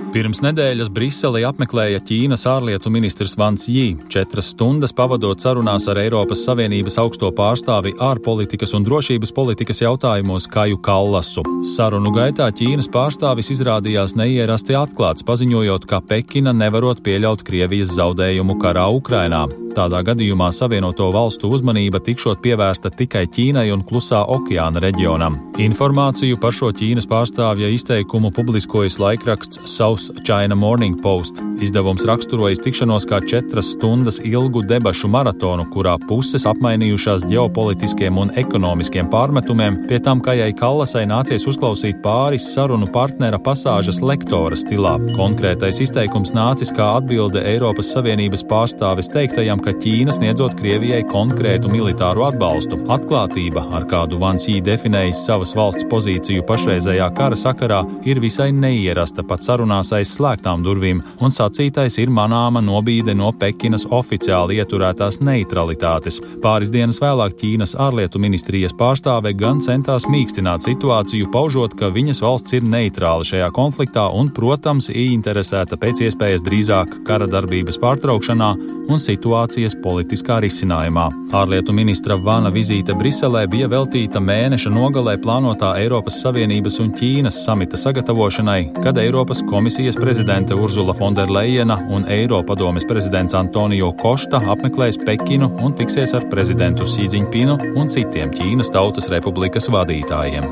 Pirms nedēļas Briselī apmeklēja Ķīnas ārlietu ministrs Wang Yi, 4 stundas pavadot sarunās ar Eiropas Savienības augsto pārstāvi ārpolitikas un drošības politikas jautājumos Kaju Kallasu. Sarunu gaitā Ķīnas pārstāvis izrādījās neierasti atklāts, paziņojot, ka Pekina nevarot pieļaut Krievijas zaudējumu karā Ukrainā. Tādā gadījumā Savienoto valstu uzmanība tikšot pievērsta tikai Ķīnai un Klusā okeāna reģionam. Informāciju par šo Ķīnas pārstāvja izteikumu publiskojas laikraksts South China Morning Post. Izdevums raksturojas tikšanos kā 4 stundas ilgu debašu maratonu, kurā puses apmainījušās ģeopolitiskiem un ekonomiskiem pārmetumiem, pie tam Kajai Kallasai nācies uzklausīt pāris sarunu partnera pasāžas lektora stilā. Konkrētais izteikums nācis kā atbilde Eiropas Savienības pārstāves teiktajam, ka Ķīna sniedzot Krievijai konkrētu militāru atbalstu. Atklātība, ar kādu Wang Yi definējis savas valsts pozīciju pašreizējā kara sakarā, ir visai neierasta pat sarunās aiz slēgtām durvīm, un sacītais ir manāma nobīde no Pekinas oficiāli ieturētās neutralitātes. Pāris dienas vēlāk Ķīnas ārlietu ministrijas pārstāve gan centās mīkstināt situāciju, paužot, ka viņas valsts ir neitrāla šajā konfliktā un, protams, ieinteresēta pēc iespējas drīzāk kara darbības pārtraukšanā un situācijas politiskā risinājumā. Ārlietu ministra Vana vizīte Briselē bija veltīta mēneša nogalē plānotā Eiropas Savienības un Ķīnas samita sagatavošanai, kad Eiropas komisijas prezidente Urzula Fonderlejena un Eiropadomes prezidents Antonio Košta apmeklēs Pekinu un tiksies ar prezidentu Xi Jinpingu un citiem Ķīnas Tautas Republikas vadītājiem.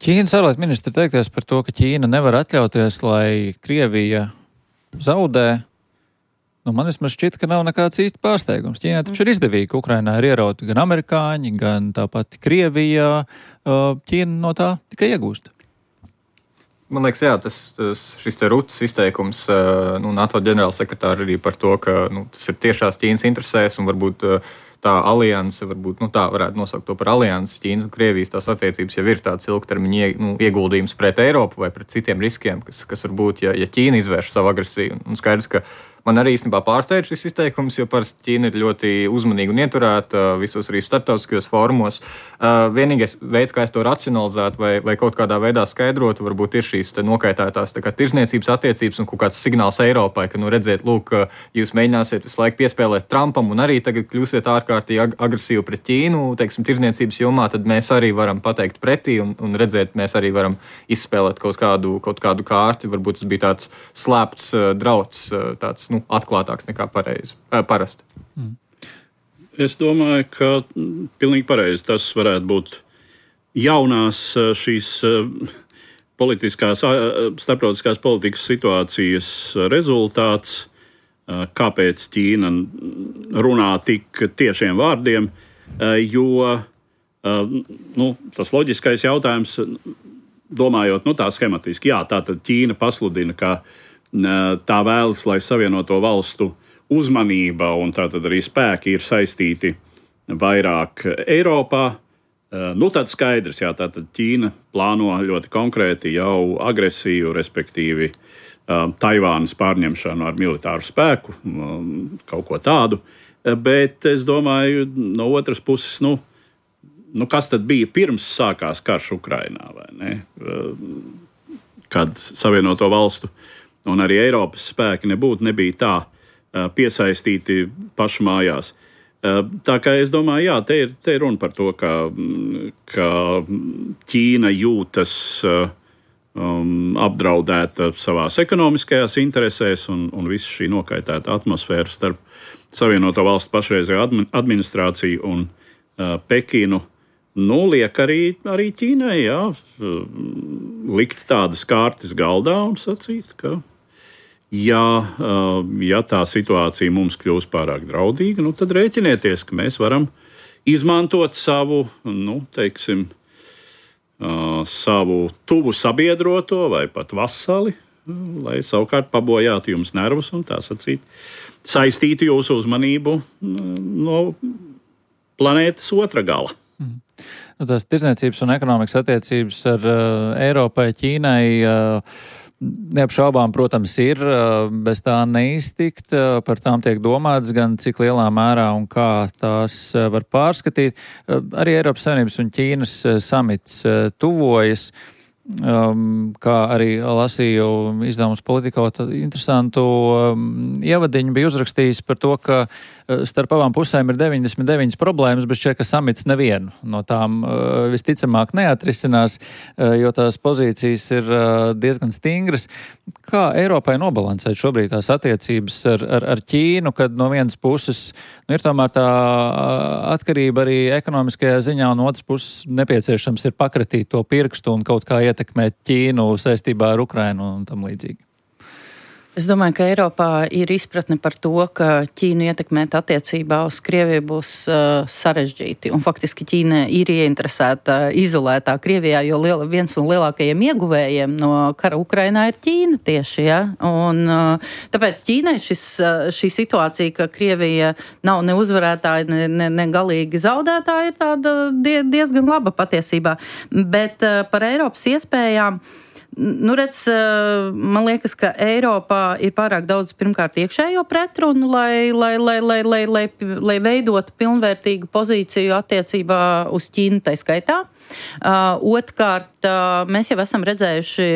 Ķīnas ārlietu ministra teikties par to, ka Ķīna nevar atļauties, lai Krievija zaudē. Man vismaz šķiet, ka nav nekāds īsti pārsteigums. Ķīnai taču ir izdevīgi, ka Ukrainā ir ierauti gan amerikāņi, gan tāpat Krievijā. Ķīna no tā tikai iegūst. Man liekas, jā, šis te Rutas izteikums NATO ģenerālsekretāra arī par to, ka tas ir tiešās Ķīnas interesēs un varbūt tā alianse, varbūt tā varētu nosaukt to par aliansi, Ķīnas un Krievijas tās attiecības jau ir tāds ilgtermiņa ieguldījums pret Eiropu vai pret citiem riskiem, kas var būt, ja Ķīna izvērš savu agresiju. Un skaidrs, ka man arī īstenībā pārsteidz šis izteikums, jo parasti Ķīna ir ļoti uzmanīga un ieturēta visos arī starptautiskajos fórumos. Vienīgais veids, kā es to racionalizētu vai kaut kādā veidā skaidrotu, varbūt ir šīs nokaitētās tirzniecības attiecības un kaut kāds signāls Eiropai, ka, redziet, lūk, jūs mēģināsiet visu laiku piespēlēt Trumpam un arī tagad kļūsiet ārkārtīgi agresīvi pret Ķīnu, teiksim, tirzniecības jomā, tad mēs arī varam pateikt pretī un redzēt, mēs arī varam izspēlēt kaut kādu kārti. Varbūt tas bija tāds slēpts drauds, tāds atklātāks nekā parasti. Es domāju, ka pilnīgi pareizi tas varētu būt jaunās šīs starptautiskās politikas situācijas rezultāts, kāpēc Ķīna runā tik tiešiem vārdiem, jo tas loģiskais jautājums, domājot tā schematiski, jā, tātad Ķīna pasludina, ka tā vēlas, lai Savienoto valstu uzmanība un tātad arī spēki ir saistīti vairāk Eiropā. Tad skaidrs, jā, tātad Ķīna plāno ļoti konkrēti jau agresiju, respektīvi Taivānas pārņemšanu ar militāru spēku, kaut ko tādu. Bet es domāju, no otras puses, kas tad bija pirms sākās karš Ukrainā, vai ne? Kad Savienoto valstu un arī Eiropas spēki nebija tā piesaistīti pašu mājās. Tā kā es domāju, jā, te ir runa par to, ka Ķīna jūtas apdraudēta savās ekonomiskajās interesēs un visa šī nokaitēta atmosfēra starp Savienoto valstu pašreizējo administrāciju un Pekinu. Liek arī Ķīnai, jā, likt tādas kārtas galdā un sacīt, ka ja tā situācija mums kļūs pārāk draudīga, tad rēķinieties, ka mēs varam izmantot savu, savu tuvu sabiedroto vai pat vasali, lai savukārt pabojātu jums nervus un tā sacīt, saistītu jūsu uzmanību no planētas otra gala. Tās tirdzniecības un ekonomikas attiecības ar Eiropai, Ķīnai neapšaubām, protams, ir, bez tā neiztikt, par tām tiek domāts gan cik lielā mērā un kā tās var pārskatīt. Arī Eiropas Savienības un Ķīnas samits tuvojas, kā arī lasīju izdevumus Politikā, interesantu ievadiņu bija uzrakstījis par to, ka starp abām pusēm ir 99 problēmas, bet šķiet, ka samits nevienu no tām visticamāk neatrisinās, jo tās pozīcijas ir diezgan stingras. Kā Eiropai nobalansēt šobrīd tās attiecības ar Ķīnu, kad no vienas puses ir tomēr tā atkarība arī ekonomiskajā ziņā, un otras puses nepieciešams ir pakratīt to pirkstu un kaut kā ietekmēt Ķīnu saistībā ar Ukrainu un tam līdzīgi? Es domāju, ka Eiropā ir izpratne par to, ka Ķīnu ietekmēt attiecībā uz Krieviju būs sarežģīti. Un faktiski Ķīna ir ieinteresēta izolētā Krievijā, jo viens no lielākajiem ieguvējiem no kara Ukrainā ir Ķīna tieši. Ja? Un tāpēc Ķīnai šī situācija, ka Krievija nav ne uzvarētāja, ne galīgi zaudētāja, ir tāda diezgan laba patiesībā. Bet par Eiropas iespējām man liekas, ka Eiropā ir pārāk daudz pirmkārt iekšējo pretrunu, lai veidotu pilnvērtīgu pozīciju attiecībā uz Ķīnu tai skaitā. Otrkārt, mēs jau esam redzējuši,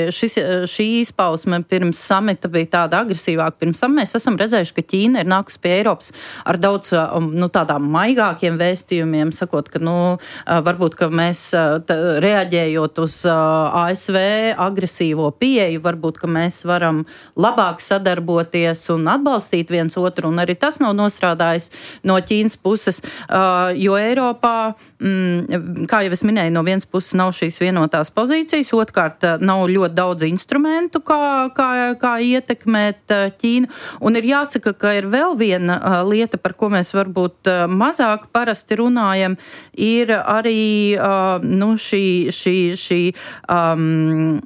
šī izpausme pirms samita bija tāda agresīvāka. Pirms tam mēs esam redzējuši, ka Ķīna ir nākusi pie Eiropas ar daudz tādām maigākiem vēstījumiem, sakot, ka varbūt, ka mēs reaģējot uz ASV agresīvo pieeju, varbūt, ka mēs varam labāk sadarboties un atbalstīt viens otru, un arī tas nav nostrādājis no Ķīnas puses, jo Eiropā, kā jau es minēju, no vienas puses nav šīs vienotās pozīcijas, otrkārt nav ļoti daudz instrumentu, kā ietekmēt Ķīnu. Un ir jāsaka, ka ir vēl viena lieta, par ko mēs varbūt mazāk parasti runājam, ir arī šī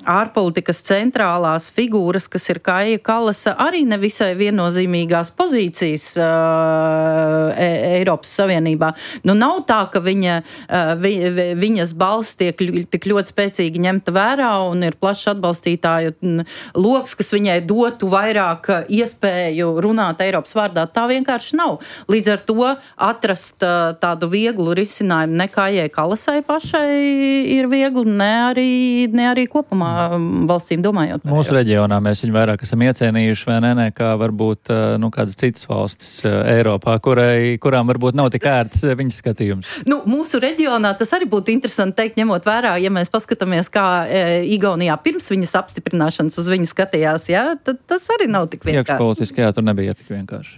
ārpolitikas centrālās figūras, kas ir Kaja Kallasa, arī nevisai viennozīmīgās pozīcijas Eiropas Savienībā. Nav tā, ka viņas balss tiek tik ļoti spēcīgi ņemta vērā un ir plašs atbalstītāju loks, kas viņai dotu vairāk iespēju runāt Eiropas vārdā. Tā vienkārši nav. Līdz ar to atrast tādu vieglu risinājumu ne Kājai Kallasai pašai ir viegli, ne arī kopumā valstīm domājot. Mūsu reģionā mēs viņu vairāk esam iecienījuši, vai ne, kā varbūt kādas citas valstis Eiropā, kurām varbūt nav tik ērts viņas skatījums. Mūsu reģionā tas arī būtu interesanti teikt, ņemot vērā, ja mēs paskatāmies, kā Igaunijā pirms viņas apstiprināšanas uz viņu skatījās, tad tas arī nav tik vienkārši. Iekšpolitiski, tur nebija tik vienkārši.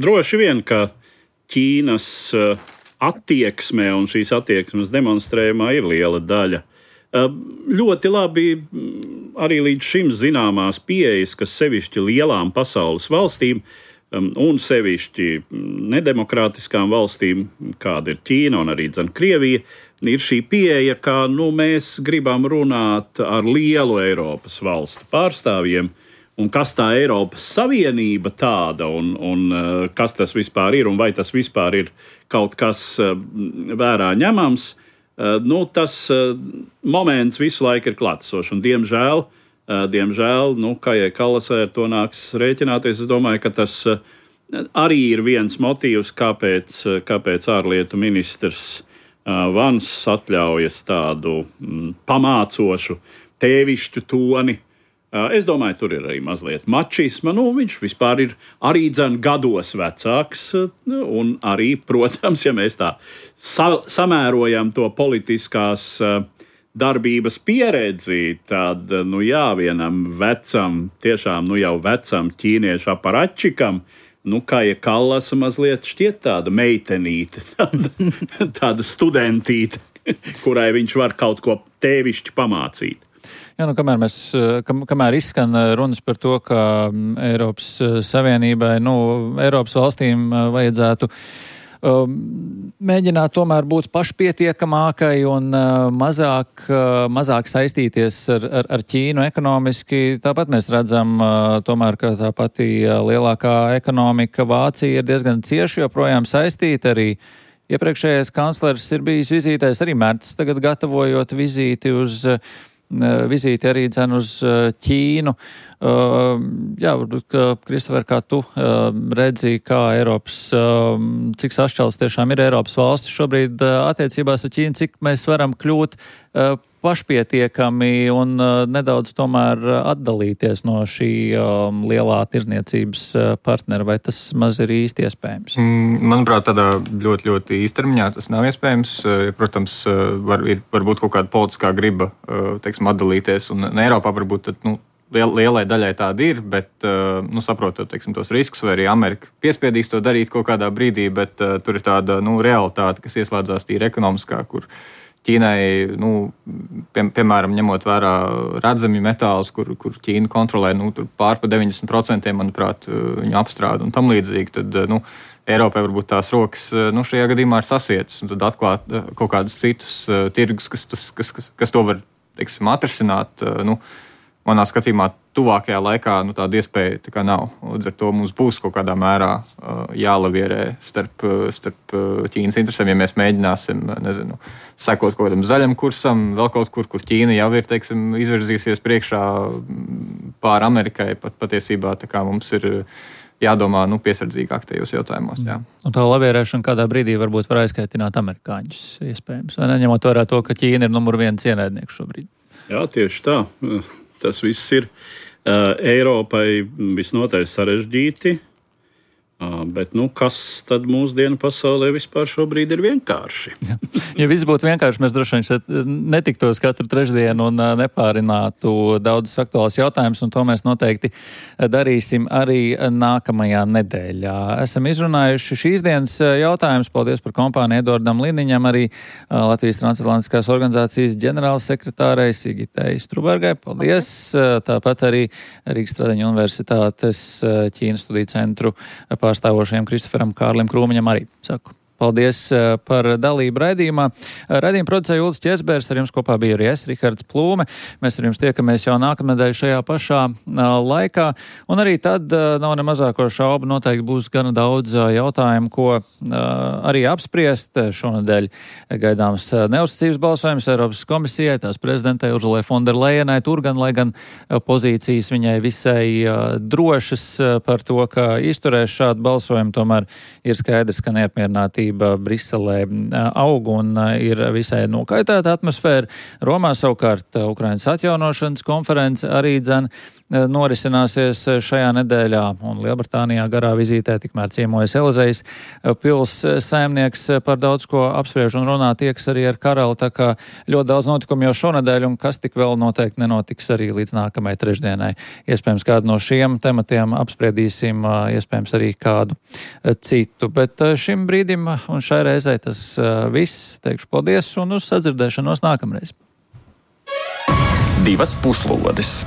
Droši vien, ka Ķīnas attieksmē un šīs attieksmes demonstrējumā ir liela daļa. Ļoti labi arī līdz šim zināmās pieejas, kas sevišķi lielām pasaules valstīm un sevišķi nedemokrātiskām valstīm, kāda ir Ķīna un arī Krievija, ir šī pieeja, ka mēs gribam runāt ar lielu Eiropas valstu pārstāvjiem, un kas tā Eiropas Savienība tāda, un kas tas vispār ir, un vai tas vispār ir kaut kas vērā ņemams, tas moments visu laiku ir klātesošs, un diemžēl, Kājai Kallasai ar to nāks rēķināties. Es domāju, ka tas arī ir viens motīvs, kāpēc ārlietu ministrs Vans atļaujas tādu pamācošu, tēvišķu toni. Es domāju, tur ir arī mazliet mačisma. Viņš vispār ir arī gados vecāks, un arī, protams, ja mēs tā samērojam to politiskās darbības pieredzi, tad, vienam vecam, tiešām, jau vecam ķīniešu aparačikam, Kaja Kallasa mazliet šķiet tāda meitenīte, tāda studentīte, kurai viņš var kaut ko tēvišķi pamācīt. Jā, kamēr izskan runas par to, ka Eiropas Savienībai, Eiropas valstīm vajadzētu mēģināt tomēr būt pašpietiekamākai un mazāk saistīties ar Ķīnu ekonomiski. Tāpat mēs redzam tomēr, ka tā pati lielākā ekonomika Vācija ir diezgan cieši joprojām saistīta. Arī iepriekšējais kanclers ir bijis vizītēs, arī Merts tagad gatavojot vizīti arī uz Ķīnu. Varbūt, Kristofer, kā tu redzi, kā cik sašķelts tiešām ir Eiropas valstis šobrīd attiecībās ar Ķīnu, cik mēs varam kļūt pašpietiekami un nedaudz tomēr atdalīties no šī lielā tirdzniecības partnera, vai tas maz ir īsti iespējams? Manuprāt, tādā ļoti, ļoti īstermiņā tas nav iespējams. Protams, var būt kaut kāda politiskā griba, atdalīties, un Eiropā varbūt lielai daļai tāda ir, bet, saprotot, tos riskus, vai arī Amerika piespiedīs to darīt kaut kādā brīdī, bet tur ir tāda, realitāte, kas ieslēdzās tīri ekonomiskā, kur Ķīnai, piemēram, ņemot vērā redzami metālus, kur Ķīna kontrolē, pār pa 90%, manuprāt, viņu apstrāda un tam līdzīgi, tad, Eiropai varbūt tās rokas, šajā gadījumā ir sasietas, un tad atklāt kaut kādus citus tirgus, kas to var, atrisināt, manā skatījumā tuvākajā laikā tāda iespēja tā kā nav. Līdz ar to mums būs kaut kādā mērā jālavierē starp Ķīnas interesēm, ja mēs mēģināsim, sekot kaut kādam zaļam kursam, vēl kaut kur Ķīna jau ir, izvirzīsies priekšā pār Amerikai. Patiesībā tā kā mums ir jādomā piesardzīgāk tajos jautājumos. Jā. Un tā lavierēšana kādā brīdī varbūt var aizskaitināt amerikāņus, iespējams, vai neņemot vērā to, ka Ķīna ir numur 1 ienaidnieks šobrīd. Jā, tieši tā. Tas viss ir Eiropai visnotaļ sarežģīti. Bet kas tad mūsdienu pasaulē vispār šobrīd ir vienkārši? Ja viss būtu vienkārši, mēs droši vien netiktos katru trešdienu un nepārinātu daudzas aktuālas jautājumus, un to mēs noteikti darīsim arī nākamajā nedēļā. Esam izrunājuši šīs dienas jautājumus. Paldies par kompāniju Edvardam Liniņam, arī Latvijas transatlantiskās organizācijas ģenerālsekretārei Sigitei Strubergai. Paldies! Tāpat arī Rīgas Stradiņu universitātes Ķīnas studiju centru pārstāvošajam Kristoferam Kārlim Krūmiņam arī saku. Paldies par dalību raidījumā. Raidījumu producēja Uldis Ķersbergs, ar jums kopā bija arī es, Rihards Plūme. Mēs ar jums tiekamies jau nākamnedēļ šajā pašā laikā. Un arī tad nav ne mazāko šaubu, noteikti būs gana daudz jautājumu, ko arī apspriest. Šonedēļ gaidāms neuzticības balsojums Eiropas komisijai, tās prezidentei Urzulai Fonderlejenai. Tur gan, lai gan pozīcijas viņai visai drošas par to, ka izturēs šādu balsojumu, tomēr ir skaidrs, ka neapmierinātība Briselē aug un ir visai nokaitēta atmosfēra. Romā savukārt Ukrainas atjaunošanas konference arī norisināsies šajā nedēļā, un Lielbritānijā garā vizītē tikmēr ciemojas Elizejas pils saimnieks par daudz ko apspriež un runā, tieks arī ar karali, tā kā ļoti daudz notikumu jau šonedēļ, un kas tik vēl noteikti nenotiks arī līdz nākamajai trešdienai. Iespējams, kādu no šiem tematiem apspriedīsim, iespējams arī kādu citu, bet šim brīdim un šai reizei tas viss. Teikšu paldies un uz sadzirdēšanos nākamreiz. 2 puslodes.